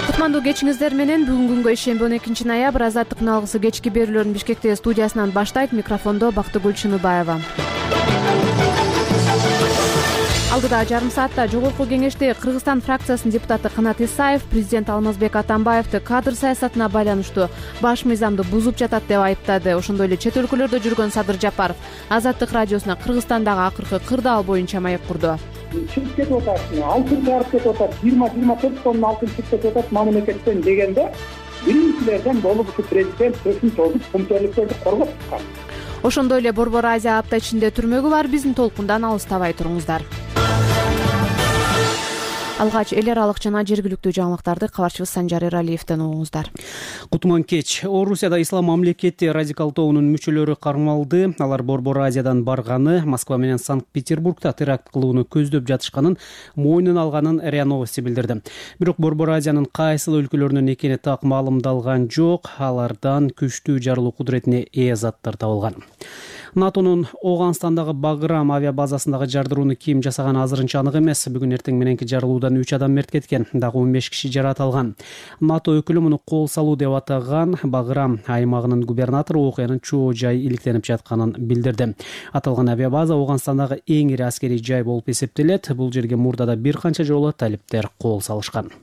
Кутмандуу кечиңиздер менен бүгүнкү күнгө ишемби он экинчи ноябрь Азаттыктын алгысы кечки берүүлөрүн Бишкектеги студиясынан баштайт. Микрофондо Бактыгүл Чыныбаева. Алдыда жарым саатта жогорку кеңеште Кыргызстан фракциясынын депутаты Канат Исаев президент Алмазбек Атамбаевди кадр саясатына байланыштуу баш мыйзамды бузуп жатат деп айыптады. Ошондой эле чет өлкөлөрдө жүргөн Садыр Жапаров Азаттык радиосуна Кыргызстандагы акыркы кырдаал боюнча маек курду. Чыгып кетип атат, алтын чыгарып кетип атат, жыйырма жыйырма төрт тонна алтын чыгып кетип атат мамлекеттен дегенде биринчилерден болуп ушу президент сөзүн созуп кумтерликтерди коргоп чыккан. Ошондой эле Борбор Азия апта ичинде түрмөгү бар. Биздин толкундан алыстабай туруңуздар. Алгач эл аралык жана жергиликтүү жаңылыктарды кабарчыбыз Санжар Эралиевден угуңуздар. Кутман кеч. Орусияда ислам мамлекети радикал тобунун мүчөлөрү кармалды. Алар Борбор Азиядан барганы, Москва менен Санкт-Петербургда теракт кылууну көздөп жатышканын мойнуна алганын РИА Новости билдирди. Бирок Борбор Азиянын кайсыл өлкөлөрүнөн экени так маалымдалган жок. Алардан күчтүү жарылуу кудуретине ээ заттар табылган. НАТОнун Оганстандагы Баграм авиабазасындагы жардырууну ким жасаганы азырынча анык эмес. Бүгүн эртең мененки жарылуудан үч адам мерт кеткен, дагы он беш киши жаракат алган. НАТО өкүлү муну кол салуу деп атаган. Баграм аймагынын губернатору окуянын чоо жай иликтенип жатканын билдирди. Аталган авиабаза Оганстандагы эң ири аскерий жай болуп эсептелет. Бул жерге мурдада бир канча жолу талиптер кол салышкан.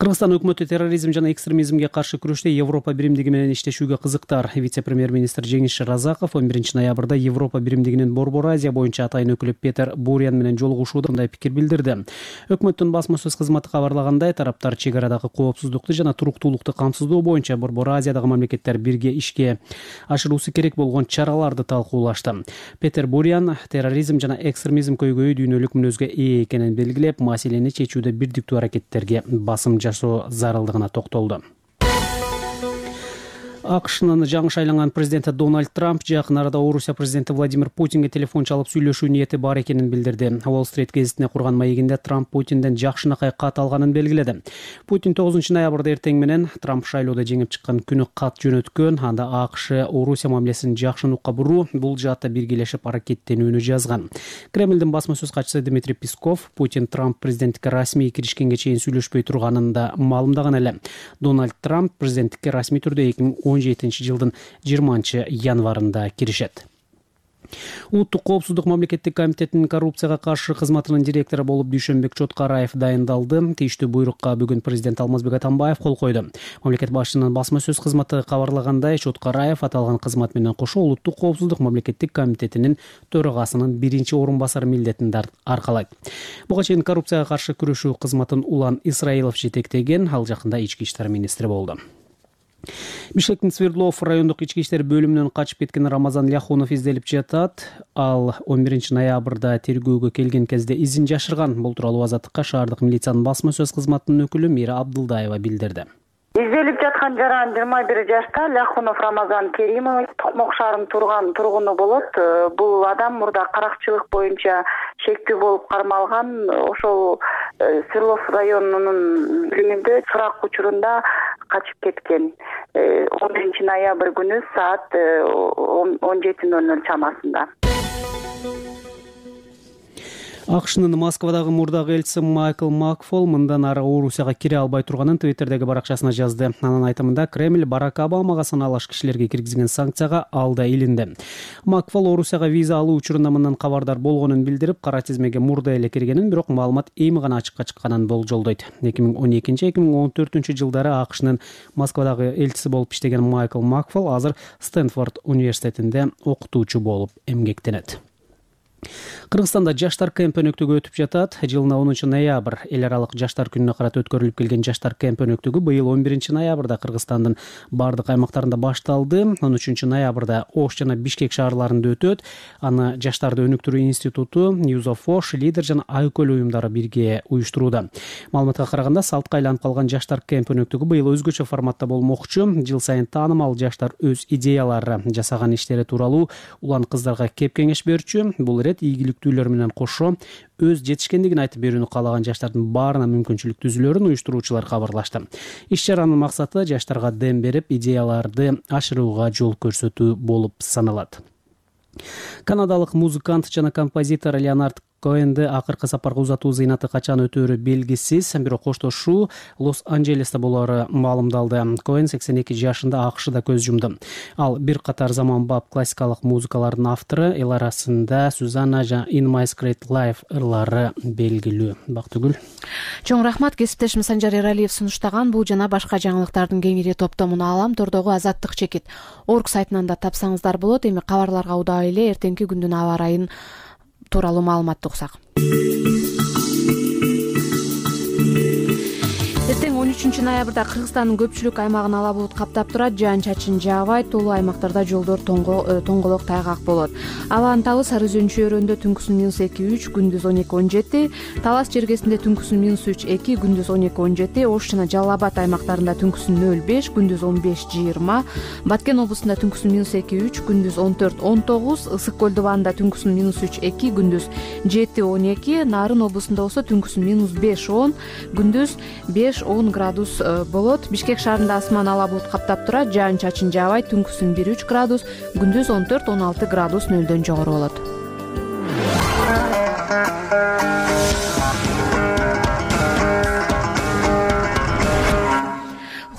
Кыргызстан өкмөтү терроризм жана экстремизмге каршы күрөштө Европа биримдиги менен иштешүүгө кызыктар. Вице-премьер-министр Жеңиш Шыразаков он биринчи ноябрда Европа биримдигинин Борбор Азия боюнча атайын өкүлү Петер Буриан менен жолугушууда мындай пикир билдирди. Өкмөттүн басма сөз кызматы кабарлагандай, тараптар чек арадагы коопсуздукту жана туруктуулукту камсыздоо боюнча Борбор Азиядагы мамлекеттер бирге ишке ашыруусу керек болгон чараларды талкуулашты. Петер Буриан терроризм жана экстремизм көйгөйү дүйнөлүк мүнөзгө ээ экенин белгилеп, маселени чечүүдө бирдиктүү аракеттерге басым жасоо зарылдыгына токтолду. АКШнын жаңы шайланган президенти Дональд Трамп жакын арада Орусия президенти Владимир Путинге телефон чалып сүйлөшүү ниети бар экенин билдирди. Уолл-стрит гезитине курган маегинде Трамп Путинден жакшынакай кат алганын белгиледи. Путин тогузунчу ноябрда эртең менен Трамп шайлоодо жеңип чыккан күнү кат жөнөткөн. Анда АКШ Орусия мамилесин жакшынукка буруу, бул жаатта биргелешип аракеттенүүнү жазган. Кремлдин басма сөз катчысы Дмитрий Песков Путин Трамп президенттикке расмий киришкенге чейин сүйлөшпөй турганын да маалымдаган эле. Дональд Трамп президенттикке расмий түрдө эки миң он жетинчи жылдын жыйырманчы январында киришет. Улуттук коопсуздук мамлекеттик комитетинин коррупцияга каршы кызматынын директору болуп Дүйшөнбек Чоткараев дайындалды. Тийиштүү буйрукка бүгүн президент Алмазбек Атамбаев кол койду. Мамлекет башчынын басма сөз кызматы кабарлагандай, Чоткараев аталган кызмат менен кошо улуттук коопсуздук мамлекеттик комитетинин төрагасынын биринчи орун басары милдетин аркалайт. Буга чейин коррупцияга каршы күрөшүү кызматын Улан Исраилов жетектеген, ал жакында ички иштер министри болду. Бишкектин Свердлов райондук ички иштер бөлүмүнөн качып кеткен Рамазан Ляхунов изделип жатат. Ал он биринчи ноябрда тергөөгө келген кезде изин жашырган. Бул тууралуу Азаттыкка шаардык милициянын басма сөз кызматынын өкүлү Мира Абдылдаева билдирди. Изделип жаткан жаран жыйырма бир жашта Ляхунов Рамазан Керимович Токмок шаарынын турган тургуну болот. Бул адам мурда каракчылык боюнча шектүү болуп кармалган. Ошол Свердлов районунун бөлүмүндө сурак учурунда качып кеткен. он биринчи ноябрь күнү саат он жети ноль ноль чамасында. акшнын Москвадагы мурдагы элчиси Майкл Макфол мындан ары Орусияга кире албай турганын Твиттердеги баракчасына жазды. Анын айтымында Кремль Барак Обамага саналаш кишилерге киргизген санкцияга алда илинди. Макфол Орусияга виза алуу учурунда мындан кабардар болгонун билдирип, кара тизмеге мурда эле киргенин, бирок маалымат эми гана ачыкка чыкканын болжолдойт. эки миң он экинчи эки миң он төртүнчү жылдары акшнын Москвадагы элчиси болуп иштеген Майкл Макфол азыр Стэнфорд университетинде окутуучу болуп эмгектенет. Кыргызстанда жаштар кемп өнөктүгү өтүп жатат. Жылына онунчу ноябрь эл аралык жаштар күнүнө карата өткөрүлүп келген жаштар кемп өнөктүгү быйыл он биринчи ноябрда Кыргызстандын бардык аймактарында башталды. он үчүнчү ноябрда Ош жана Бишкек шаарларында өтөт. Аны Жаштарды өнүктүрүү институту, Youth of Osh, Лидер жана Айкөл уюмдары бирге уюштурууда. Маалыматка караганда, салтка айланып калган жаштар кемп өнөктүгү быйыл өзгөчө форматта болмокчу. Жыл сайын таанымал жаштар өз идеялары, жасаган иштери тууралуу улан кыздарга кеп кеңеш берчү. Бул ирет ийгиликтүүлөр менен кошо өз жетишкендигин айтып берүүнү каалаган жаштардын баарына мүмкүнчүлүк түзүлөрүн уюштуруучулар кабарлашты. Иш-чаранын максаты жаштарга дем берип, идеяларды ашырууга жол көрсөтүү болуп саналат. Канадалык музыкант жана композитор Леонард Коэнди акыркы сапарга узатуу зыйнаты качан өтөөрү белгисиз, бирок коштошуу Лос-Анджелесте болоору маалымдалды. Коэн сексен эки жашында акшда көз жумду. Ал бир катар заманбап классикалык музыкалардын автору, эл арасында Сюзанна жана In My Secret Life ырлары белгилүү. Бактыгүл. Чоң рахмат, кесиптешим Санжар Эралиев сунуштаган бул жана башка жаңылыктардын кеңири топтомуну алам тордогу Азаттык чекит орг сайтынан да тапсаңыздар болот. Эми кабарларга удаа эле эртеңки күндүн аба ырайын тууралуу маалыматты уксак. Эртең он үчүнчү ноябрда Кыргызстандын көпчүлүк аймагын ала булут каптап турат, жаан-чачын жаабайт, тоолуу аймактарда жолдор тоңголок тайгак болот. Абанын табы Сары Өзөн чөйрөндө түнкүсүн минус эки үч, күндүз он эки он жети, Талас жергесинде түнкүсүн минус үч эки, күндүз он эки он жети, Ош жана Жалал Абад аймактарында түнкүсүн нөл беш, күндүз он беш жыйырма, Баткен облусунда түнкүсүн минус эки үч, күндүз он төрт он тогуз, Ысык көл дубанында түнкүсүн минус үч эки, күндүз жети он эки, Нарын облусунда болсо түнкүсүн минус беш он, күндүз беш он градус болот. Бишкек шаарында асман ала булут каптап турат, жаан-чачын жаабайт, түнкүсүн бир үч градус, күндүз он төрт он алты градус нөлдөн жогору болот.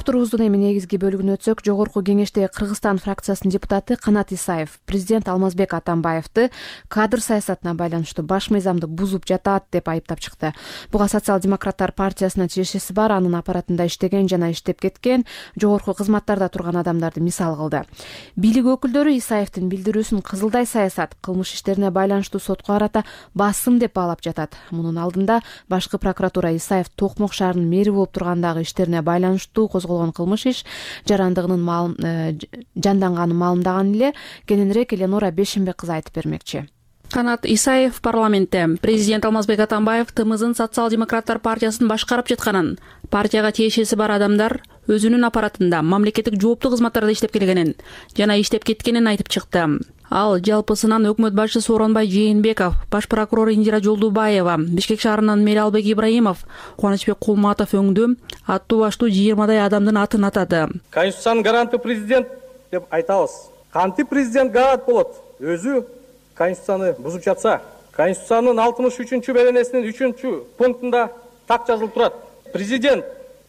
Уктуруубуздун эми негизги бөлүгүнө өтсөк, жогорку кеңештеги Кыргызстан фракциясынын депутаты Канат Исаев президент Алмазбек Атамбаевди кадр саясатына байланыштуу баш мыйзамды бузуп жатат деп айыптап чыкты. Буга социал-демократтар партиясына тиешеси бар, анын аппаратында иштеген жана иштеп кеткен, жогорку кызматтарда турган адамдарды мисал кылды. Бийлик өкүлдөрү Исаевдин билдирүүсүн кызылдай саясат, кылмыш иштерине байланыштуу сотко карата басым деп баалап жатат. Мунун алдында башкы прокуратура Исаев Токмок шаарынын мэри болуп тургандагы иштерине байланыштуу козголгон кылмыш иш жарандыгынын жанданганын маалымдаган эле. Кененирээк Эленора Бешенбек кызы айтып бермекчи. Канат Исаев парламентте президент Алмазбек Атамбаев ТМЗын социал-демократтар партиясын башкарып жатканын, партияга тиешеси бар адамдар өзүнүн аппаратында мамлекеттик жооптуу кызматтарда иштеп келгенин жана иштеп кеткенин айтып чыкты. Ал жалпысынан өкмөт башчысы Сооронбай Жээнбеков, баш прокурор Индира Жолдубаева, Бишкек шаарынын мэри Албек Ибраимов, Кубанычбек Кулматов өңдүү аттуу баштуу жыйырмадай адамдын атын атады. Конституциянын гаранты президент деп айтабыз. Кантип президент гарант болот? Өзү Конституцияны бузуп жатса, Конституциянын алтымыш үчүнчү беренесинин үчүнчү пунктунда так жазылып турат. Президент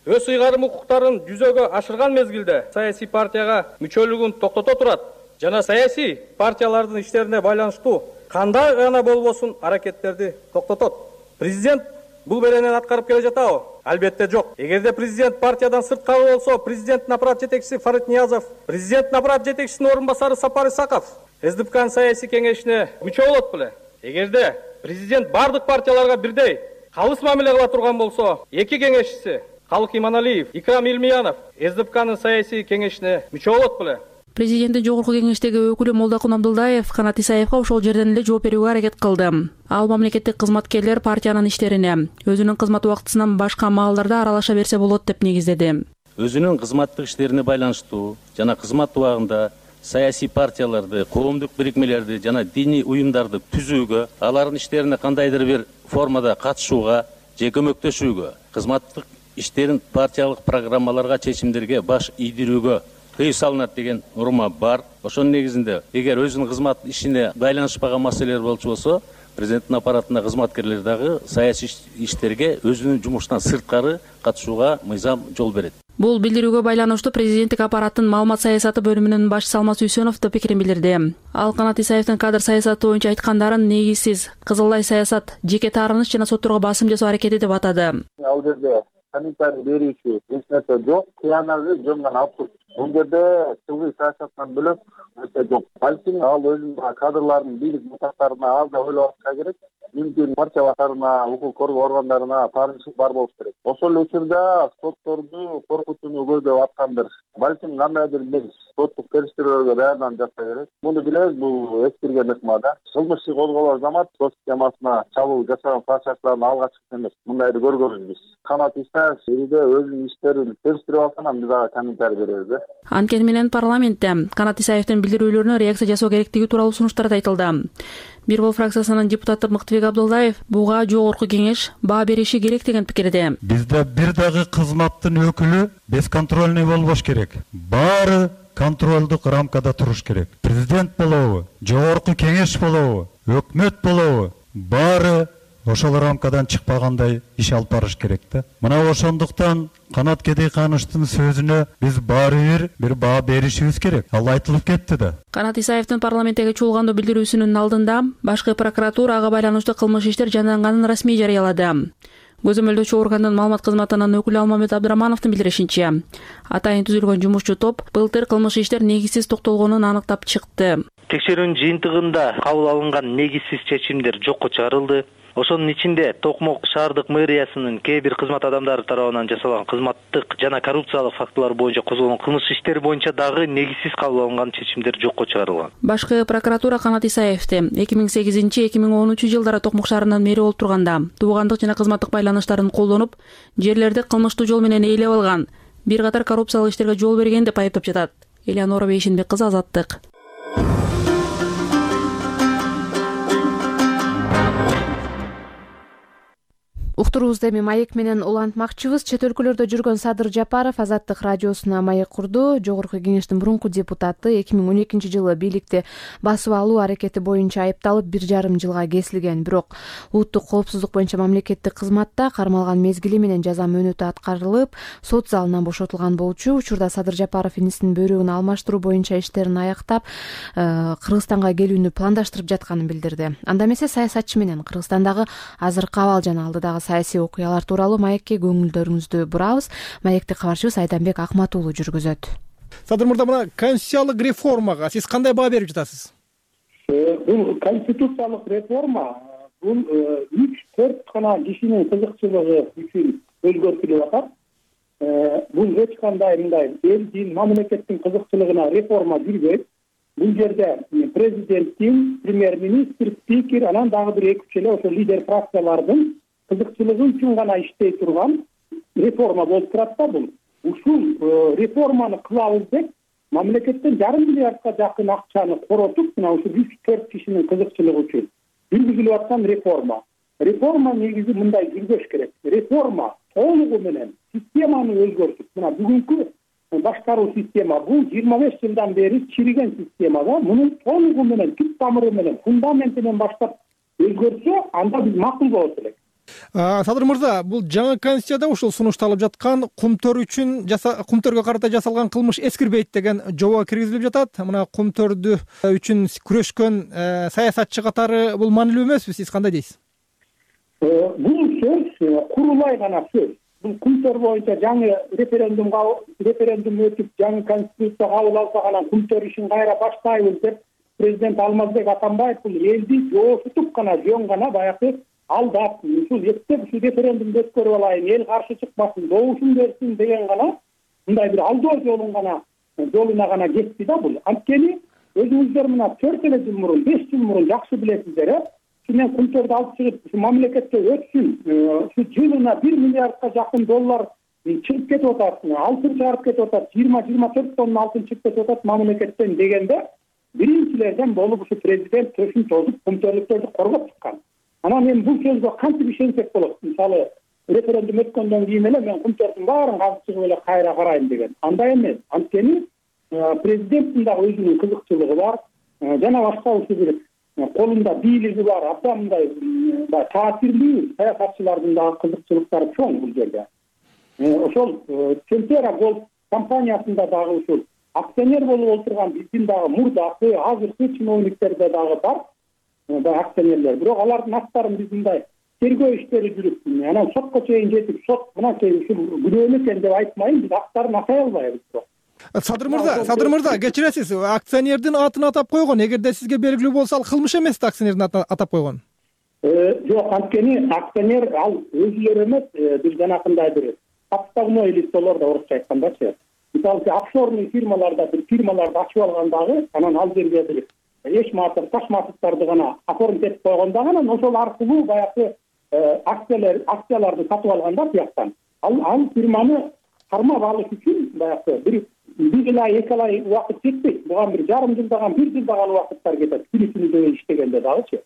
өз ыйгарым укуктарын жүзөгө ашырган мезгилде саясий партияга мүчөлүгүн токтото турат жана саясий партиялардын иштерине байланыштуу кандай гана болбосун аракеттерди токтотот. Президент бул беренени аткарып келе жатабы? Албетте жок. Эгерде президент партиядан сырткары болсо, президенттин аппарат жетекчиси Фарид Ниязов, президенттин аппарат жетекчисинин орун басары Сапар Исаков СДПКнын саясий кеңешине мүчө болот беле? Эгерде президент бардык партияларга бирдей калыс мамиле кыла турган болсо, эки кеңешчиси Калык Иманалиев, Икрам Илмиянов СДПКнын саясий кеңешине мүчө болот беле? Президенттин жогорку кеңештеги өкүлү Молдокун Абдулдаев Канат Исаевга ошол жерден эле жооп берүүгө аракет кылды. Ал мамлекеттик кызматкерлер партиянын иштерине өзүнүн кызмат убактысынан башка маалдарда аралаша берсе болот деп негиздеди. Өзүнүн кызматтык иштерине байланыштуу жана кызмат убагында саясий партияларды, коомдук бирикмелерди жана диний уюмдарды түзүүгө, алардын иштерине кандайдыр бир формада катышууга же көмөктөшүүгө, кызматтык иштерин партиялык программаларга, чечимдерге баш ийдирүүгө тыюу салынат деген норма бар. Ошонун негизинде эгер өзүнүн кызмат ишине байланышпаган маселелер болчу болсо, президенттин аппаратына кызматкерлер дагы саясий иштерге өзүнүн жумушунан сырткары катышууга мыйзам жол берет. Бул билдирүүгө байланыштуу президенттик аппараттын маалымат саясаты бөлүмүнүн башчысы Алмаз Үсөнов да пикирин билдирди. Ал Канат Исаевдин кадр саясаты боюнча айткандарын негизсиз, кызылдай саясат, жеке таарыныч жана сотторго басым жасоо аракети деп атады. Ал жерде комментарий берүүчү эч нерсе жок, кыянагы жөн гана абсурд. Бул жерде тылгый саясаттан бөлөк нерсе жок. Балким ал өзүнүн кадрларын бийлик мутактарына аз да ойлоп атса керек. Мүмкүн партия башкарына, укук коргоо органдарына таарынчылык бар болуш керек. Ошол эле учурда сотторду коркутууну көздөп аткандыр. Балким кандайдыр бир соттук териштирүүлөргө даярданып жатса керек. Муну билебиз, бул эскирген ыкма да. Кылмыш иши козголор замат сот системасына чабуул жасаган саясатчылардын алгачкысы эмес. Мындайды көргөнбүз биз. Канат Исаев элде өзүнүн иштерин териштирип алса, анан биз ага комментарий беребиз да. Анткени менен парламентте Канат Исаевдин билдирүүлөрүнө реакция жасоо керектиги тууралуу сунуштар да айтылды. Бир бол фракциясынын депутаты Мыктыбек Абдуллаев буга жогорку кеңеш баа бериши керек деген пикирде. Бизде бир дагы кызматтын өкүлү бесконтрольный болбош керек. Баары контролдук рамкада туруш керек. Президент болобу, жогорку кеңеш болобу, өкмөт болобу, баары ошол рамкадан чыкпагандай иш алып барыш керек да. Мына ошондуктан Канат Кедейкановичтин сөзүнө биз баары бир бир баа беришибиз керек. Ал айтылып кетти да. Канат Исаевдин парламенттеги чуулгандуу билдирүүсүнүн алдында башкы прокуратура ага байланыштуу кылмыш иштер жанданганын расмий жарыялады. Көзөмөлдөөчү органдын маалымат кызматынын өкүлү Алмамет Абдырамановдун билдиришинче, атайын түзүлгөн жумушчу топ былтыр кылмыш иштер негизсиз токтолгонун анықтап чыкты. Текшерүүнүн жыйынтыгында кабыл алынган негизсиз чечимдер жокко чыгарылды. Ошонун ичинде Токмок шаардык мэриясынын кээ бир кызмат адамдары тарабынан жасалган кызматтык жана коррупциялык фактылар боюнча козголгон кылмыш иштери боюнча дагы негизсиз кабыл алынган чечимдер жокко чыгарылган. Башкы прокуратура Канат Исаевди эки миң сегизинчи эки миң онунчу жылдары Токмок шаарынын мэри болуп турганда туугандык жана кызматтык байланыштарын колдонуп, жерлерди кылмыштуу жол менен ээлеп алган, бир катар коррупциялык иштерге жол берген деп айыптап жатат. Элеонора Бейшенбек кызы, Азаттык. Уктуруубузду эми маек менен улантмакчыбыз. Чет өлкөлөрдө жүргөн Садыр Жапаров Азаттык радиосуна маек курду. Жогорку кеңештин мурунку депутаты эки миң он экинчи жылы бийликти басып алуу аракети боюнча айыпталып бир жарым жылга кесилген. Бирок улуттук коопсуздук боюнча мамлекеттик кызматта кармалган мезгили менен жаза мөөнөтү аткарылып, сот залынан бошотулган болчу. Учурда Садыр Жапаров инисинин бөйрөгүн алмаштыруу боюнча иштерин аяктап, Кыргызстанга келүүнү пландаштырып жатканын билдирди. Анда эмесе саясатчы менен Кыргызстандагы азыркы абал жана алдыдагы саясий окуялар тууралуу маекке көңүлдөрүңүздү бурабыз. Маекти кабарчыбыз Айданбек Акмат уулу жүргүзөт. Садыр мырза, мына конституциялык реформага сиз кандай баа берип жатасыз? Бул конституциялык реформа бул үч төрт гана кишинин кызыкчылыгы үчүн өзгөртүлүп атат. Бул эч кандай мындай элдин, мамлекеттин кызыкчылыгына реформа жүрбөйт. Бул жерде президенттин, премьер-министр, спикер, анан дагы бир эки үч эле ошо лидер фракциялардын кызыкчылыгы үчүн гана иштей турган реформа болуп турат да бул. Ушул реформаны кылабыз деп мамлекеттен жарым миллиардка жакын акчаны коротуп, мына ушул үч төрт кишинин кызыкчылыгы үчүн жүргүзүлүп аткан реформа. Реформа негизи мындай жүрбөш керек. Реформа толугу менен системаны өзгөртүп, мына бүгүнкү башкаруу система бул жыйырма беш жылдан бери чириген система да. Муну толугу менен, түп тамыры менен, фундаментинен баштап өзгөртсө, анда биз макул болот элек. Садыр мырза, бул жаңы конституцияда ушул сунушталып жаткан кумтөр үчүн кумтөргө карата жасалган кылмыш эскирбейт деген жобо киргизилип жатат. Мына кумтөрдү үчүн күрөшкөн саясатчы катары бул маанилүү эмеспи? Сиз кандай дейсиз? Бул сөз курулай гана сөз. Бул кумтөр боюнча жаңы референдумга референдум өтүп, жаңы конституция кабыл алса гана кумтөр ишин кайра баштайбыз деп президент Алмазбек Атамбаев бул элди жоошутуп гана, жөн гана баягы алдап, ушул эптеп ушул референдумду өткөрүп алайын, эл каршы чыкпасын, добушун берсин деген гана мындай бир алдоо жолун гана жолуна гана кетти да бул. Анткени өзүңүздөр мына төрт эле жыл мурун, беш жыл мурун жакшы билесиздер, э? Ушунен кумтөрдү алып чыгып, ушу мамлекетке өтсүн, ушу жылына бир миллиардка жакын доллар чыгып кетип атат, алтын чыгарып кетип атат, жыйырма жыйырма төрт тонна алтын чыгып кетип атат мамлекеттен дегенде, биринчилерден болуп ушу президент төшүн тосуп кумтөрлүктөрдү коргоп чыккан. Анан эми бул сөзгө кантип ишенсек болот? Мисалы, референдум өткөндөн кийин эле мен кумтөрдүн баарын казып чыгып эле кайра карайм деген. Андай эмес. Анткени президенттин дагы өзүнүн кызыкчылыгы бар, жана башка ушул бир колунда бийлиги бар абдан мындай баягы таасирлүү саясатчылардын дагы кызыкчылыктары чоң бул жерде. Ошол Центера Голд компаниясында дагы ушул акционер болуп отурган биздин дагы мурдакы азыркы чиновниктерде дагы бар баягы акционерлер. Бирок алардын аттарын биз мындай тергөө иштери жүрүп, анан сотко чейин жетип, сот мынакей ушул күнөөнү экен деп айтмайын, биз актарын атай албайбыз. Садыр мырза, Садыр мырза, кечиресиз, акционердин атын атап койгон. Эгерде сизге белгилүү болсо, ал кылмыш эмес да акционердин атын атап койгон? Жок, анткени акционер ал өзүлөрү эмес, бир жанакындай бир подставной лицолор да орусча айткандачы. Мисалы, офшорный фирмаларда бир фирмаларды ачып алган дагы, анан ал жерге бир эч матов, таш матовдорду гана оформить этип койгон дагы, анан ошол аркылуу баягы акциялар, акцияларды сатып алганда бияктан. Ал ал фирманы кармап алыш үчүн баягы бир бир ай, эки ай убакыт жетпейт. Буга бир жарым жылдаган, бир жылдаган убакыттар кетет. Күнү-түнү жөө иштегенде дагычы.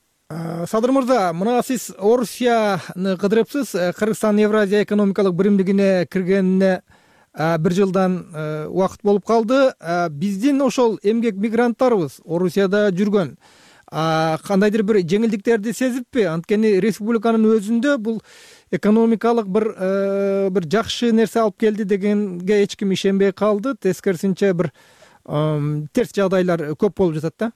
Садыр мырза, мына сиз Орусияны кыдырыпсыз, Кыргызстан Евразия экономикалык биримдигине киргенине бир жылдан убакыт болуп калды. Биздин ошол эмгек мигранттарыбыз Орусияда жүргөн кандайдыр бир жеңилдиктерди сезиппи? Анткени республиканын өзүндө бул экономикалык бир бир жакшы нерсе алып келди дегенге эч ким ишенбей калды. Тескерисинче бир терс жагдайлар көп болуп жатат да.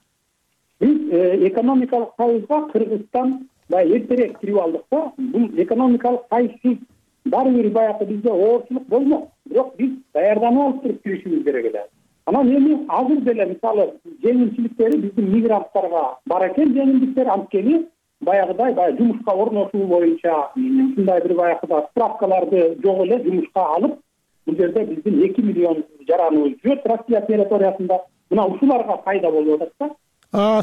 Биз экономикалык сайызга Кыргызстан баягы эртерээк кирип алдык да. Бул экономикалык сайызсыз баары бир баягы бизде оорчулук болмок. Бирок биз даярданып алып туруп киришибиз керек эле. Анан эми азыр деле мисалы жеңилчиликтери биздин мигранттарга бар экен, жеңилдиктер, анткени баягыдай баягы жумушка орношуу боюнча ушундай бир баягы справкаларды жок эле жумушка алып, бул жерде биздин эки миллион жараныбыз жүрөт Россия территориясында. Мына ушуларга пайда болуп атат да.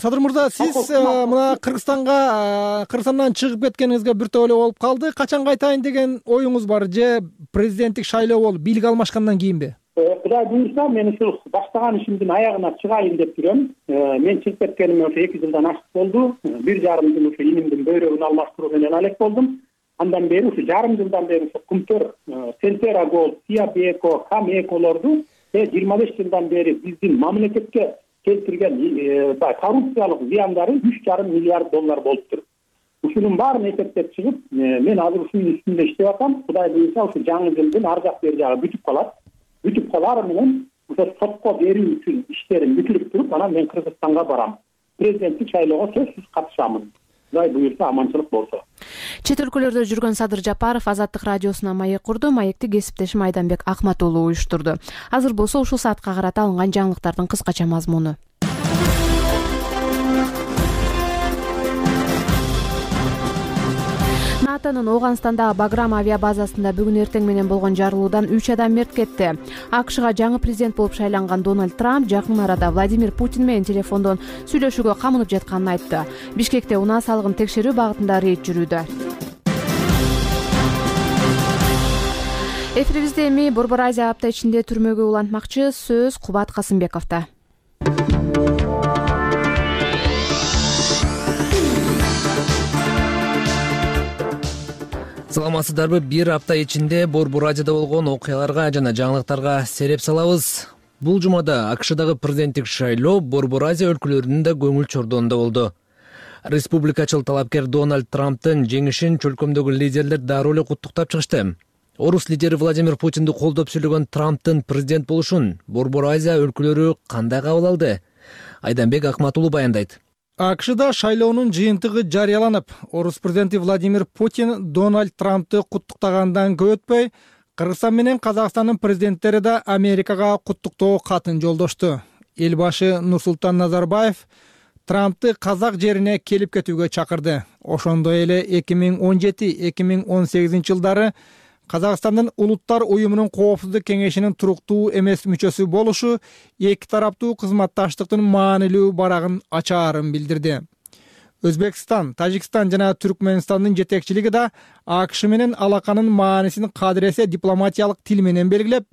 Садыр мырза, сиз мына Кыргызстанга, Кыргызстандан чыгып кеткениңизге бир топ эле болуп калды. Качан кайтайын деген оюңуз бар же президенттик шайлоо болуп, бийлик алмашкандан кийинби? Кудай буюрса, мен ушул баштаган ишимдин аягына чыгайын деп жүрөм. Мен чыгып кеткениме ошо эки жылдан ашык болду. Бир жарым жыл ушу инимдин бөйрөгүн алмаштыруу менен алек болдум. Андан бери ушу жарым жылдан бери ушу Кумтөр, Центера Голд, Сиабеко, Камеколорду жыйырма беш жылдан бери биздин мамлекетке келтирген коррупциялык зыяндары үч жарым миллиард доллар болуптур. Ушунун баарын эсептеп чыгып, мен азыр ушунун үстүндө иштеп атам. Кудай буюрса, ушу жаңы жылдын ар жак бери жагы бүтүп калат. Бүтүп калары менен ошо сотко берүү үчүн иштерим бүтүрүп туруп, анан мен Кыргызстанга барам. Президенттик шайлоого сөзсүз катышамын. Кудай буюрса, аманчылык болсо. Чет өлкөлөрдө жүргөн Садыр Жапаров Азаттык радиосуна маек курду. Маекти кесиптешим Айданбек Акмат уулу уюштурду. Азыр болсо ушул саатка карата алынган жаңылыктардын кыскача мазмуну. НАТОнун Ооганстандагы Баграм авиабазасында бүгүн эртең менен болгон жарылуудан үч адам мерт кетти. АКШга жаңы президент болуп шайланган Дональд Трамп жакын арада Владимир Путин менен телефондон сүйлөшүүгө камынып жатканын айтты. Бишкекте унаа салыгын текшерүү багытында рейд жүрүүдө. Эфирибизде эми Борбор Азия апта ичинде түрмөгө улантмакчы сөз Кубат Касымбековдо. Саламатсыздарбы? Бир апта ичинде Борбор Азияда болгон окуяларга жана жаңылыктарга сереп салабыз. Бул жумада АКШдагы президенттик шайлоо Борбор Азия өлкөлөрүнүн да көңүл чордоонунда болду. Республикачыл талапкер Дональд Трамптын жеңишин чөлкөмдөгү лидерлер дароо эле куттуктап чыгышты. Орус лидери Владимир Путинди колдоп сүйлөгөн Трамптын президент болушун Борбор Азия өлкөлөрү кандай кабыл алды? Айданбек Акмат уулу баяндайт. АКШда шайлоонун жыйынтыгы жарыяланып, Орус президенти Владимир Путин Дональд Трампты куттуктагандан көп өтпөй, Кыргызстан менен Казакстандын президенттери да Америкага куттуктоо катын жолдошту. Эл башы Нурсултан Назарбаев Трампты казак жерине келип кетүүгө чакырды. Ошондой эле эки миң он жети — эки миң он сегизинчи жылдары Казакстандын Улуттар уюмунун коопсуздук кеңешинин туруктуу эмес мүчөсү болушу эки тараптуу кызматташтыктын маанилүү барагын ачаарын билдирди. Өзбекстан, Тажикстан жана Түркмөнстандын жетекчилиги да АКШ менен алаканын маанисин кадыресе дипломатиялык тил менен белгилеп,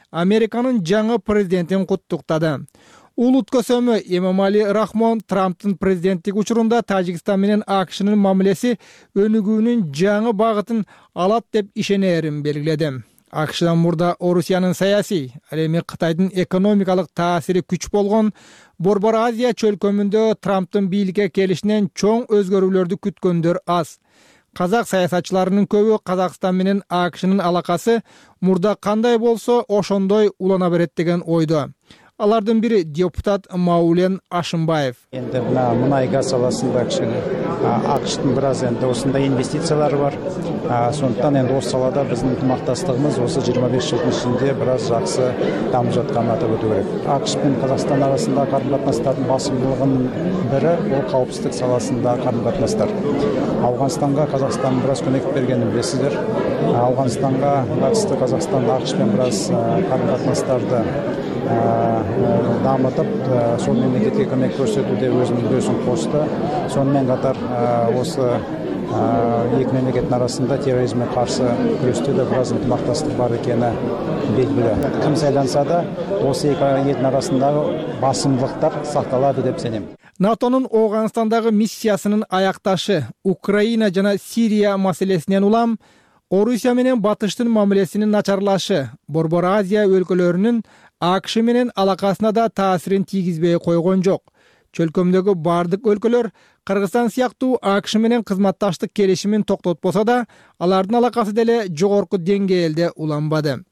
Американын жаңы президентин куттуктады. Улут көсөмү Эмомали Рахмон Трамптын президенттик учурунда Тажикстан менен АКШнын мамилеси өнүгүүнүн жаңы багытын алат деп ишенерин белгиледи. акшдан мурда Орусиянын саясий, ал эми Кытайдын экономикалык таасири күч болгон Борбор Азия чөлкөмүндө Трамптын бийликке келишинен чоң өзгөрүүлөрдү күткөндөр аз. Казак саясатчыларынын көбү Казакстан менен АКШнын алакасы мурда кандай болсо ошондой улана берет деген ойдо. Алардын бири депутат Маулен Ашымбаев. Энди мына мунай газ саласында кичине АКШтын бир аз энди осундай инвестициялары бар. Сондуктан энди осы салада биздин ынтымактастыгыбыз осы жыйырма беш жылдын ичинде бир аз жакшы дамып жатканын атап өтүү керек. АКШ менен Казакстан арасындагы карым катнаштардын басымдылыгынын бири бул каупсуздук саласындагы карым катнаштар. Афганстанга Казакстан бир аз көмөк бергенин билесиздер. Афганстанга катышты Казакстан АКШ менен бир аз карым катнаштарды дамытып, сол мемлекетке көмөк көрсөтүүдө өзүнүн үлөсүн кошто. Сонун катар осы эки мемлекеттин арасында терроризмге каршы күрөштө да бир аз ынтымакташтык бар экени белгилүү. Ким сайланса да, осы эки элдин арасындагы басымдылыктар сакталады деп сенем. НАТОнун Ооганстандагы миссиясынын аякташы Украина жана Сирия маселесинен улам Орусия менен Батыштын мамилесинин начарлашы Борбор Азия өлкөлөрүнүн АКШ менен алакасына да таасирин тийгизбей койгон жок. Чөлкөмдөгү бардык өлкөлөр Кыргызстан сыяктуу АКШ менен кызматташтык келишимин токтотпосо да, алардын алакасы деле жогорку деңгээлде уланбады.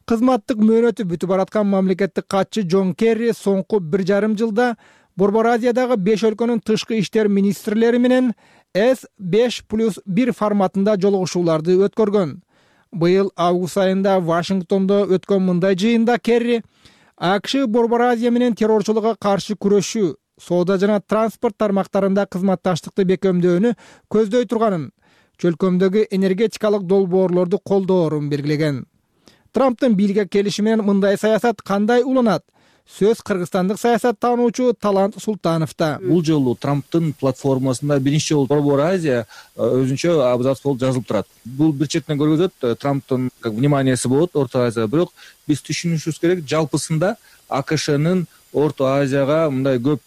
Кызматтык мөөнөтү бүтүп бараткан мамлекеттик катчы Джон Керри соңку бир жарым жылда Борбор Азиядагы беш өлкөнүн тышкы иштер министрлери менен эс беш плюс бир форматында жолугушууларды өткөргөн. Быйыл август айында Вашингтондо өткөн мындай жыйында Керри АКШ Борбор Азия менен террорчулукка каршы күрөшүү, соода жана транспорт тармактарында кызматташтыкты бекемдөөнү көздөй турганын, чөлкөмдөгү энергетикалык долбоорлорду колдоорун белгилеген. Трамптын бийликке келиши менен мындай саясат кандай уланат? Сөз кыргызстандык саясаттануучу Талант Султановда. Бул жолу Трамптын платформасында биринчи жолу Борбор Азия өзүнчө абзац болуп жазылып турат. Бул бир четинен көргөзөт Трамптын как вниманиясы болот Орто Азияга, бирок биз түшүнүшүбүз керек, жалпысында АКШнын Орто Азияга мындай көп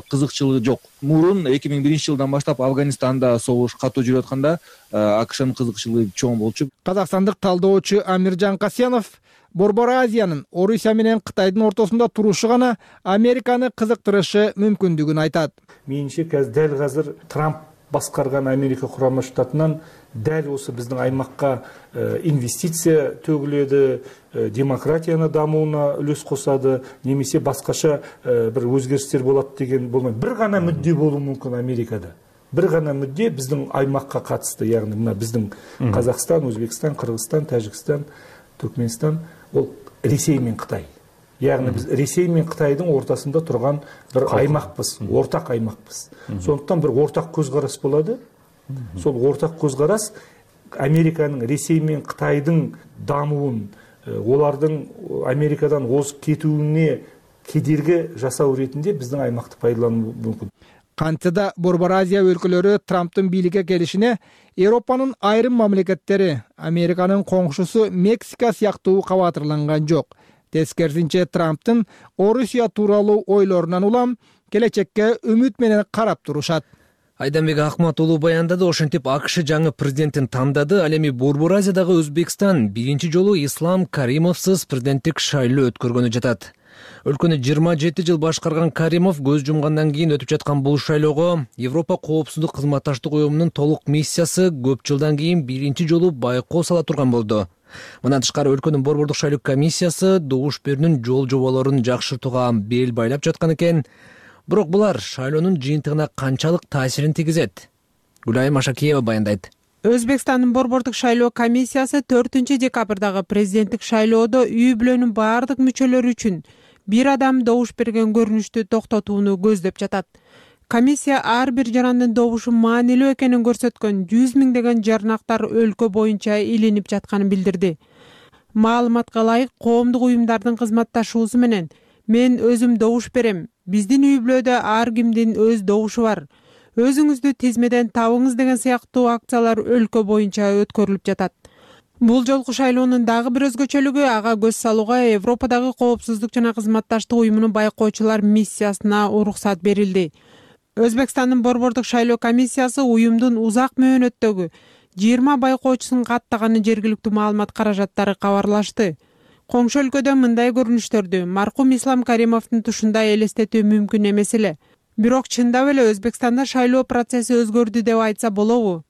кызыкчылыгы жок. Мурун эки миң биринчи жылдан баштап Афганистанда согуш катуу жүрүп атканда АКШнын кызыкчылыгы чоң болчу. Казакстандык талдоочу Амиржан Касенов Борбор Азиянын Орусия менен Кытайдын ортосунда турушу гана Американы кызыктырышы мүмкүндүгүн айтат. Менимче дәл азыр Трамп баскарган Америка Курама Штатынан дәл осы биздин аймакка инвестиция төгүлөдү, демократияны дамууна үлөс косады, немесе башкача бир өзгөрүштөр болот деген болмойт. Бир гана мүддө болуу мүмкүн Америкада. Бир гана мүддө биздин аймакка катышты, ягни мына биздин Казакстан, Өзбекстан, Кыргызстан, Тажикстан, Түркменстан, ол Ресей менен Кытай. Ягни биз Ресей менен Кытайдын ортасында турган бир аймакпыз, ортак аймакпыз. Сондуктан бир ортак көз караш болду. Сол ортак көз караш Американын Ресей менен Кытайдын дамуун, олардын Америкадан озуп кетүүнүне кедерги жасоо иретинде биздин аймакты пайдалануу мүмкүн. Кантада Борбор Азия өлкөлөрү Трамптын бийликке келишине Европанын айрым мамлекеттери, Американын коңшусу Мексика сыяктуу кабатырланган жок. Тескерисинче Трамптын Орусия тууралуу ойлорунан улам келечекке үмүт менен карап турушат. Айданбек Акмат уулу баяндады. Ошентип АКШ жаңы президентин тандады. Ал эми Борбор Азиядагы Өзбекстан биринчи жолу Ислам Каримовсуз президенттик шайлоо өткөргөнү жатат. Өлкөнү жыйырма жети жыл башкарган Каримов көз жумгандан кийин өтүп жаткан бул шайлоого Европа коопсуздук кызматташтык уюмунун толук миссиясы көп жылдан кийин биринчи жолу байкоо сала турган болду. Мындан тышкары өлкөнүн борбордук шайлоо комиссиясы добуш берүүнүн жол жоболорун жакшыртууга бел байлап жаткан экен. Бирок булар шайлоонун жыйынтыгына канчалык таасирин тийгизет? Гүлайым Ашакиева баяндайт. Өзбекстандын борбордук шайлоо комиссиясы төртүнчү декабрдагы президенттик шайлоодо үй бүлөнүн баардык мүчөлөрү үчүн бир адам добуш берген көрүнүштү токтотууну көздөп жатат. Комиссия ар бир жарандын добушу маанилүү экенин көрсөткөн жүз миңдеген жарнактар өлкө боюнча илинип жатканын билдирди. Маалыматка ылайык, коомдук уюмдардын кызматташуусу менен мен өзүм добуш берем. Биздин үй бүлөдө ар кимдин өз добушу бар. Өзүңүздү тизмеден табыңыз деген сыяктуу акциялар өлкө боюнча өткөрүлүп жатат. Бул жолку шайлоонун дагы бир өзгөчөлүгү ага көз салууга Европадагы коопсуздук жана кызматташтык уюмунун байкоочулар миссиясына уруксат берилди. Өзбекстандын борбордук шайлоо комиссиясы уюмдун узак мөөнөттөгү жыйырма байкоочусун каттаганы жергиликтүү маалымат каражаттары кабарлашты. Коңшу өлкөдө мындай көрүнүштөрдү маркум Ислам Каримовдун тушундай элестетүү мүмкүн эмес эле. Бирок чындап эле Өзбекстанда шайлоо процесси өзгөрдү деп айтса болобу?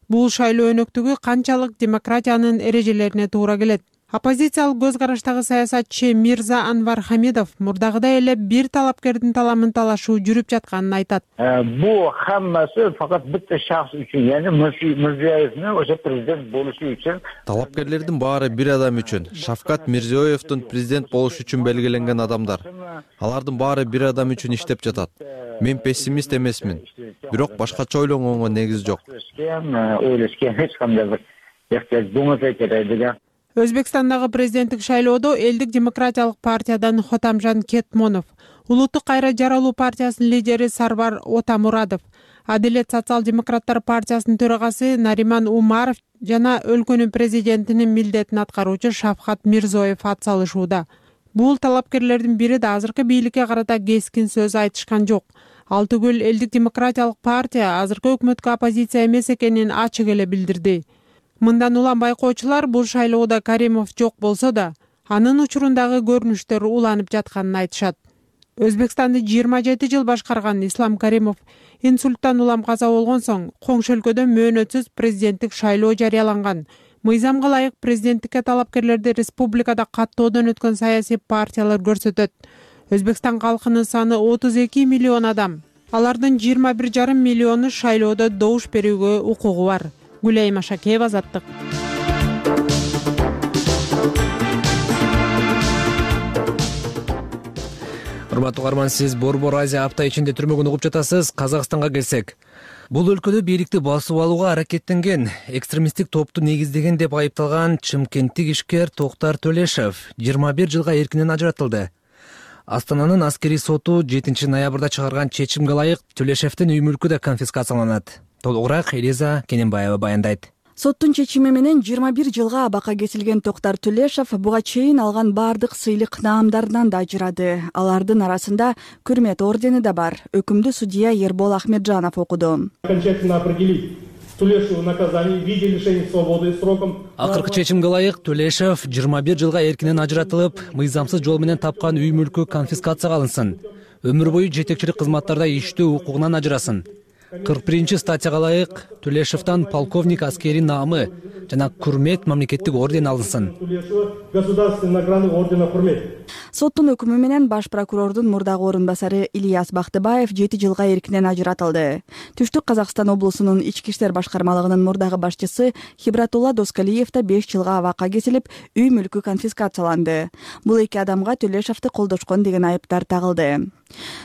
Бул шайлоо өнөктүгү канчалык демократиянын эрежелерине туура келет? Оппозициялык көз караштагы саясатчы Мирза Анвар Хамидов мурдагыдай эле бир талапкердин таламын талашуу жүрүп жатканын айтат. Бул хаммасы факат битте шахс үчүн, яны Мирзиёевдин ошо президент болушу үчүн. Талапкерлердин баары бир адам үчүн. Шавкат Мирзиёевдин президент болуш үчүн белгиленген адамдар. Алардын баары бир адам үчүн иштеп жатат. Мен пессимист эмесмин. Бирок башкача ойлонгонго негиз жок. Өзбекстандагы президенттик шайлоодо Элдик демократиялык партиядан Хотамжан Кетмонов, Улуттук кайра жаралуу партиясынын лидери Сарвар Отамурадов, Адилет социал-демократтар партиясынын төрагасы Нариман Умаров жана өлкөнүн президентинин милдетин аткаруучу Шавкат Мирзиёев ат салышууда. Бул талапкерлердин бири да азыркы бийликке карата кескин сөз айтышкан жок. Ал түгүл Элдик демократиялык партия азыркы өкмөткө оппозиция эмес экенин ачык эле билдирди. Мындан улам байкоочулар бул шайлоодо Каримов жок болсо да, анын учурундагы көрүнүштөр уланып жатканын айтышат. Өзбекстанды жыйырма жети жыл башкарган Ислам Каримов инсульттан улам каза болгон соң коңшу өлкөдө мөөнөтсүз президенттик шайлоо жарыяланган. Мыйзамга ылайык президенттикке талапкерлерди республикада каттоодон өткөн саясий партиялар көрсөтөт. Өзбекстан калкынын саны отуз эки миллион адам. Алардын жыйырма бир жарым миллиону шайлоодо добуш берүүгө укугу бар. Гүлайым Ашакеева, Азаттык. Урматтуу угарман, сиз Борбор Азия апта ичинде түрмөгөн угуп жатасыз. Казакстанга келсек, бул өлкөдө бийликти басып алууга аракеттенген экстремисттик топту негиздеген деп айыпталган чымкенттик ишкер Токтар Төлешов жыйырма бир жылга эркинен ажыратылды. Астананын аскерий соту жетинчи ноябрда чыгарган чечимге ылайык Төлешевдин үй мүлкү да конфискацияланат. Толугураак Элиза Кененбаева баяндайт. Соттун чечими менен жыйырма бир жылга абакка кетилген Токтар Төлешов буга чейин алган бардык сыйлык наамдарынан да ажырады. Алардын арасында Күрмет ордени да бар. Өкүмдү судья Ербол Ахмеджанов окуду. Окончательно определить Төлешеву наказание в виде лишения свободы сроком. Акыркы чечимге ылайык Төлешов жыйырма бир жылга эркинен ажыратылып, мыйзамсыз жол менен тапкан үй мүлкү конфискацияга алынсын. Өмүр бою жетекчилик кызматтарда иштөө укугунан ажырасын. кырк биринчи статьяга ылайык Төлешевден полковник аскери наамы жана Күрмет мамлекеттик ордени алынсын. Государственный награды ордена Күрмет. Соттун өкүмү менен баш прокурордун мурдагы орун басары Ильяс Бактыбаев жети жылга эркинен ажыратылды. Түштүк Казакстан облусунун ички иштер башкармалыгынын мурдагы башчысы Хибратулла Доскалиев да беш жылга абакка кетилип, үй мүлкү конфискацияланды. Бул эки адамга Төлешевди колдошкон деген айыптар тагылды.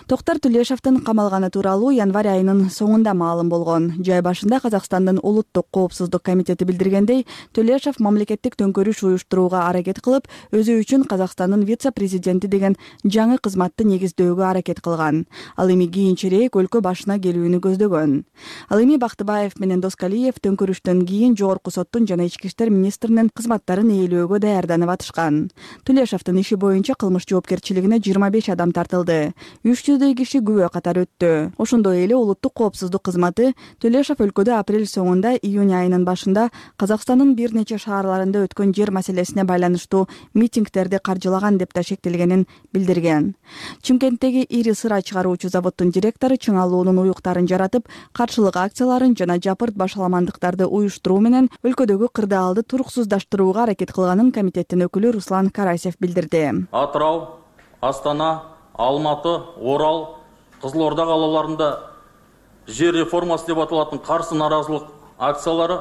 Токтар Төлешевдин камалганы тууралуу январь айынын соңунда маалым болгон. Жай башында Казакстандын улуттук коопсуздук комитети билдиргендей, Төлешев мамлекеттик төңкөрүш уюштурууга аракет кылып, өзү үчүн Казакстандын вице-президенти деген жаңы кызматты негиздөөгө аракет кылган. Ал эми кийинчерээк өлкө башына келүүнү көздөгөн. Ал эми Бактыбаев менен Доскалиев төңкөрүштөн кийин жогорку соттун жана ички иштер министринин кызматтарын ээлөөгө даярданып атышкан. Төлешевдин иши боюнча кылмыш жоопкерчилигине жыйырма беш адам тартылды. үч жүздөй киши күбө катары өттү. Ошондой эле улуттук коопсуздук кызматы Төлешев өлкөдө апрель соңунда июнь айынын башында Казакстандын бир нече шаарларында өткөн жер маселесине байланыштуу митингдерди каржылаган деп ташектелгенин билдирген. Чымкенттеги ири сыра чыгаруучу заводдун директору чыңалуунун уюктарын жаратып, каршылык акцияларын жана жапырт башаламандыктарды уюштуруу менен өлкөдөгү кырдаалды туруксуздаштырууга аракет кылганын комитеттин өкүлү Руслан Карасев билдирди. Атырау, Астана, Алматы, Орал, Кызылорда калаларында жер реформасы деп аталатын каршы наразылык акциялары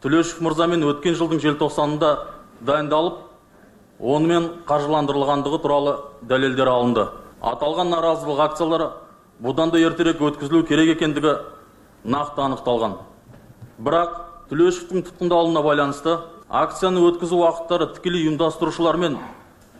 Төлешев мырза менен өткен жылдың желтоқсанында дайындалып, онымен каржыландырылгандыгы тууралуу далилдер алынды. Аталган наразылык акциялары будан да эртерээк өткөзүлүү керек экендиги накты аныкталган. Бирок Төлешевдин туткундалууна байланыштуу акцияны өткөзүү убакыттары тикелей уюмдастырушулар менен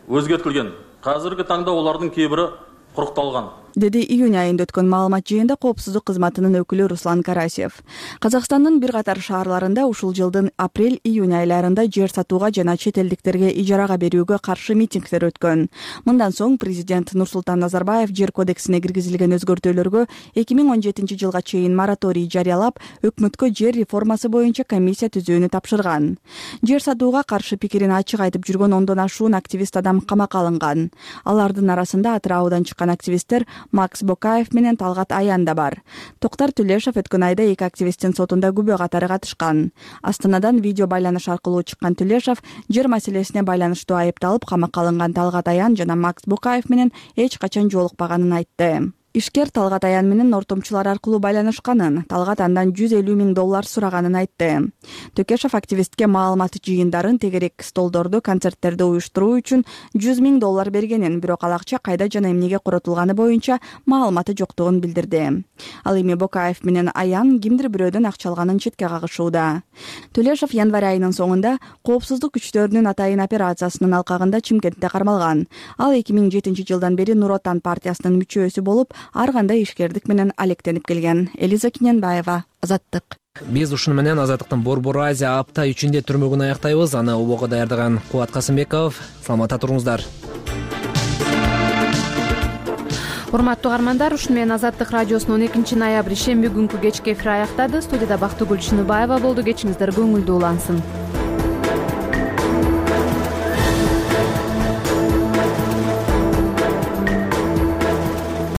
өзгөртүлгөн. Казыркы таңда олардын кээ бири курукталган. деди июнь айында өткөн маалымат жыйынында коопсуздук кызматынын өкүлү Руслан Карасев. Казакстандын бир катар шаарларында ушул жылдын апрель-июнь айларында жер сатууга жана чет элдиктерге ижарага берүүгө каршы митингдер өткөн. Мындан соң президент Нурсултан Назарбаев жер кодексине киргизилген өзгөртүүлөргө эки миң он жетинчи жылга чейин мораторий жарыялап, өкмөткө жер реформасы боюнча комиссия түзүүнү тапшырган. Жер сатууга каршы пикирин ачык айтып жүргөн ондон ашуун активист адам камакка алынган. Алардын арасында Атыраудан чыккан активисттер Макс Бокаев менен Талгат Аян да бар. Токтар Төлешов өткөн айда эки активисттин сотунда күбө катары катышкан. Астанадан видео байланыш аркылуу чыккан Төлешов жер маселесине байланыштуу айыпталып камакка алынган Талгат Аян жана Макс Бокаев менен эч качан жолукпаганын айтты. Ишкер Талгат Аян менен ортомчулар аркылуу байланышканын, Талгат андан жүз элүү миң доллар сураганын айтты. Төкешов активистке маалымат жыйындарын, тегерек столдорду, концерттерди уюштуруу үчүн жүз миң доллар бергенин, бирок ал акча кайда жана эмнеге коротулганы боюнча маалыматы жоктугун билдирди. Ал эми Бокаев менен Аян кимдир бирөөдөн акча алганын четке кагышууда. Төлешов январь айынын соңунда коопсуздук күчтөрүнүн атайын операциясынын алкагында Чымкентте кармалган. Ал эки миң жетинчи жылдан бери Нур Отан партиясынын мүчөсү болуп, ар кандай ишкердик менен алектенип келген. Элиза Киненбаева, Азаттык. Биз ушуну менен Азаттыктын Борбор Азия апта үчүндө түрмөгүн аяктайбыз. Аны убого даярдаган Кубат Касымбеков. Саламатта туруңуздар. Урматтуу угармандар, ушуну менен Азаттык радиосунун он экинчи ноябрь шемби күнкү кечки эфири аяктады. Студияда Бактыгүл Чыныбаева болду. Кечиңиздер көңүлдүү улансын.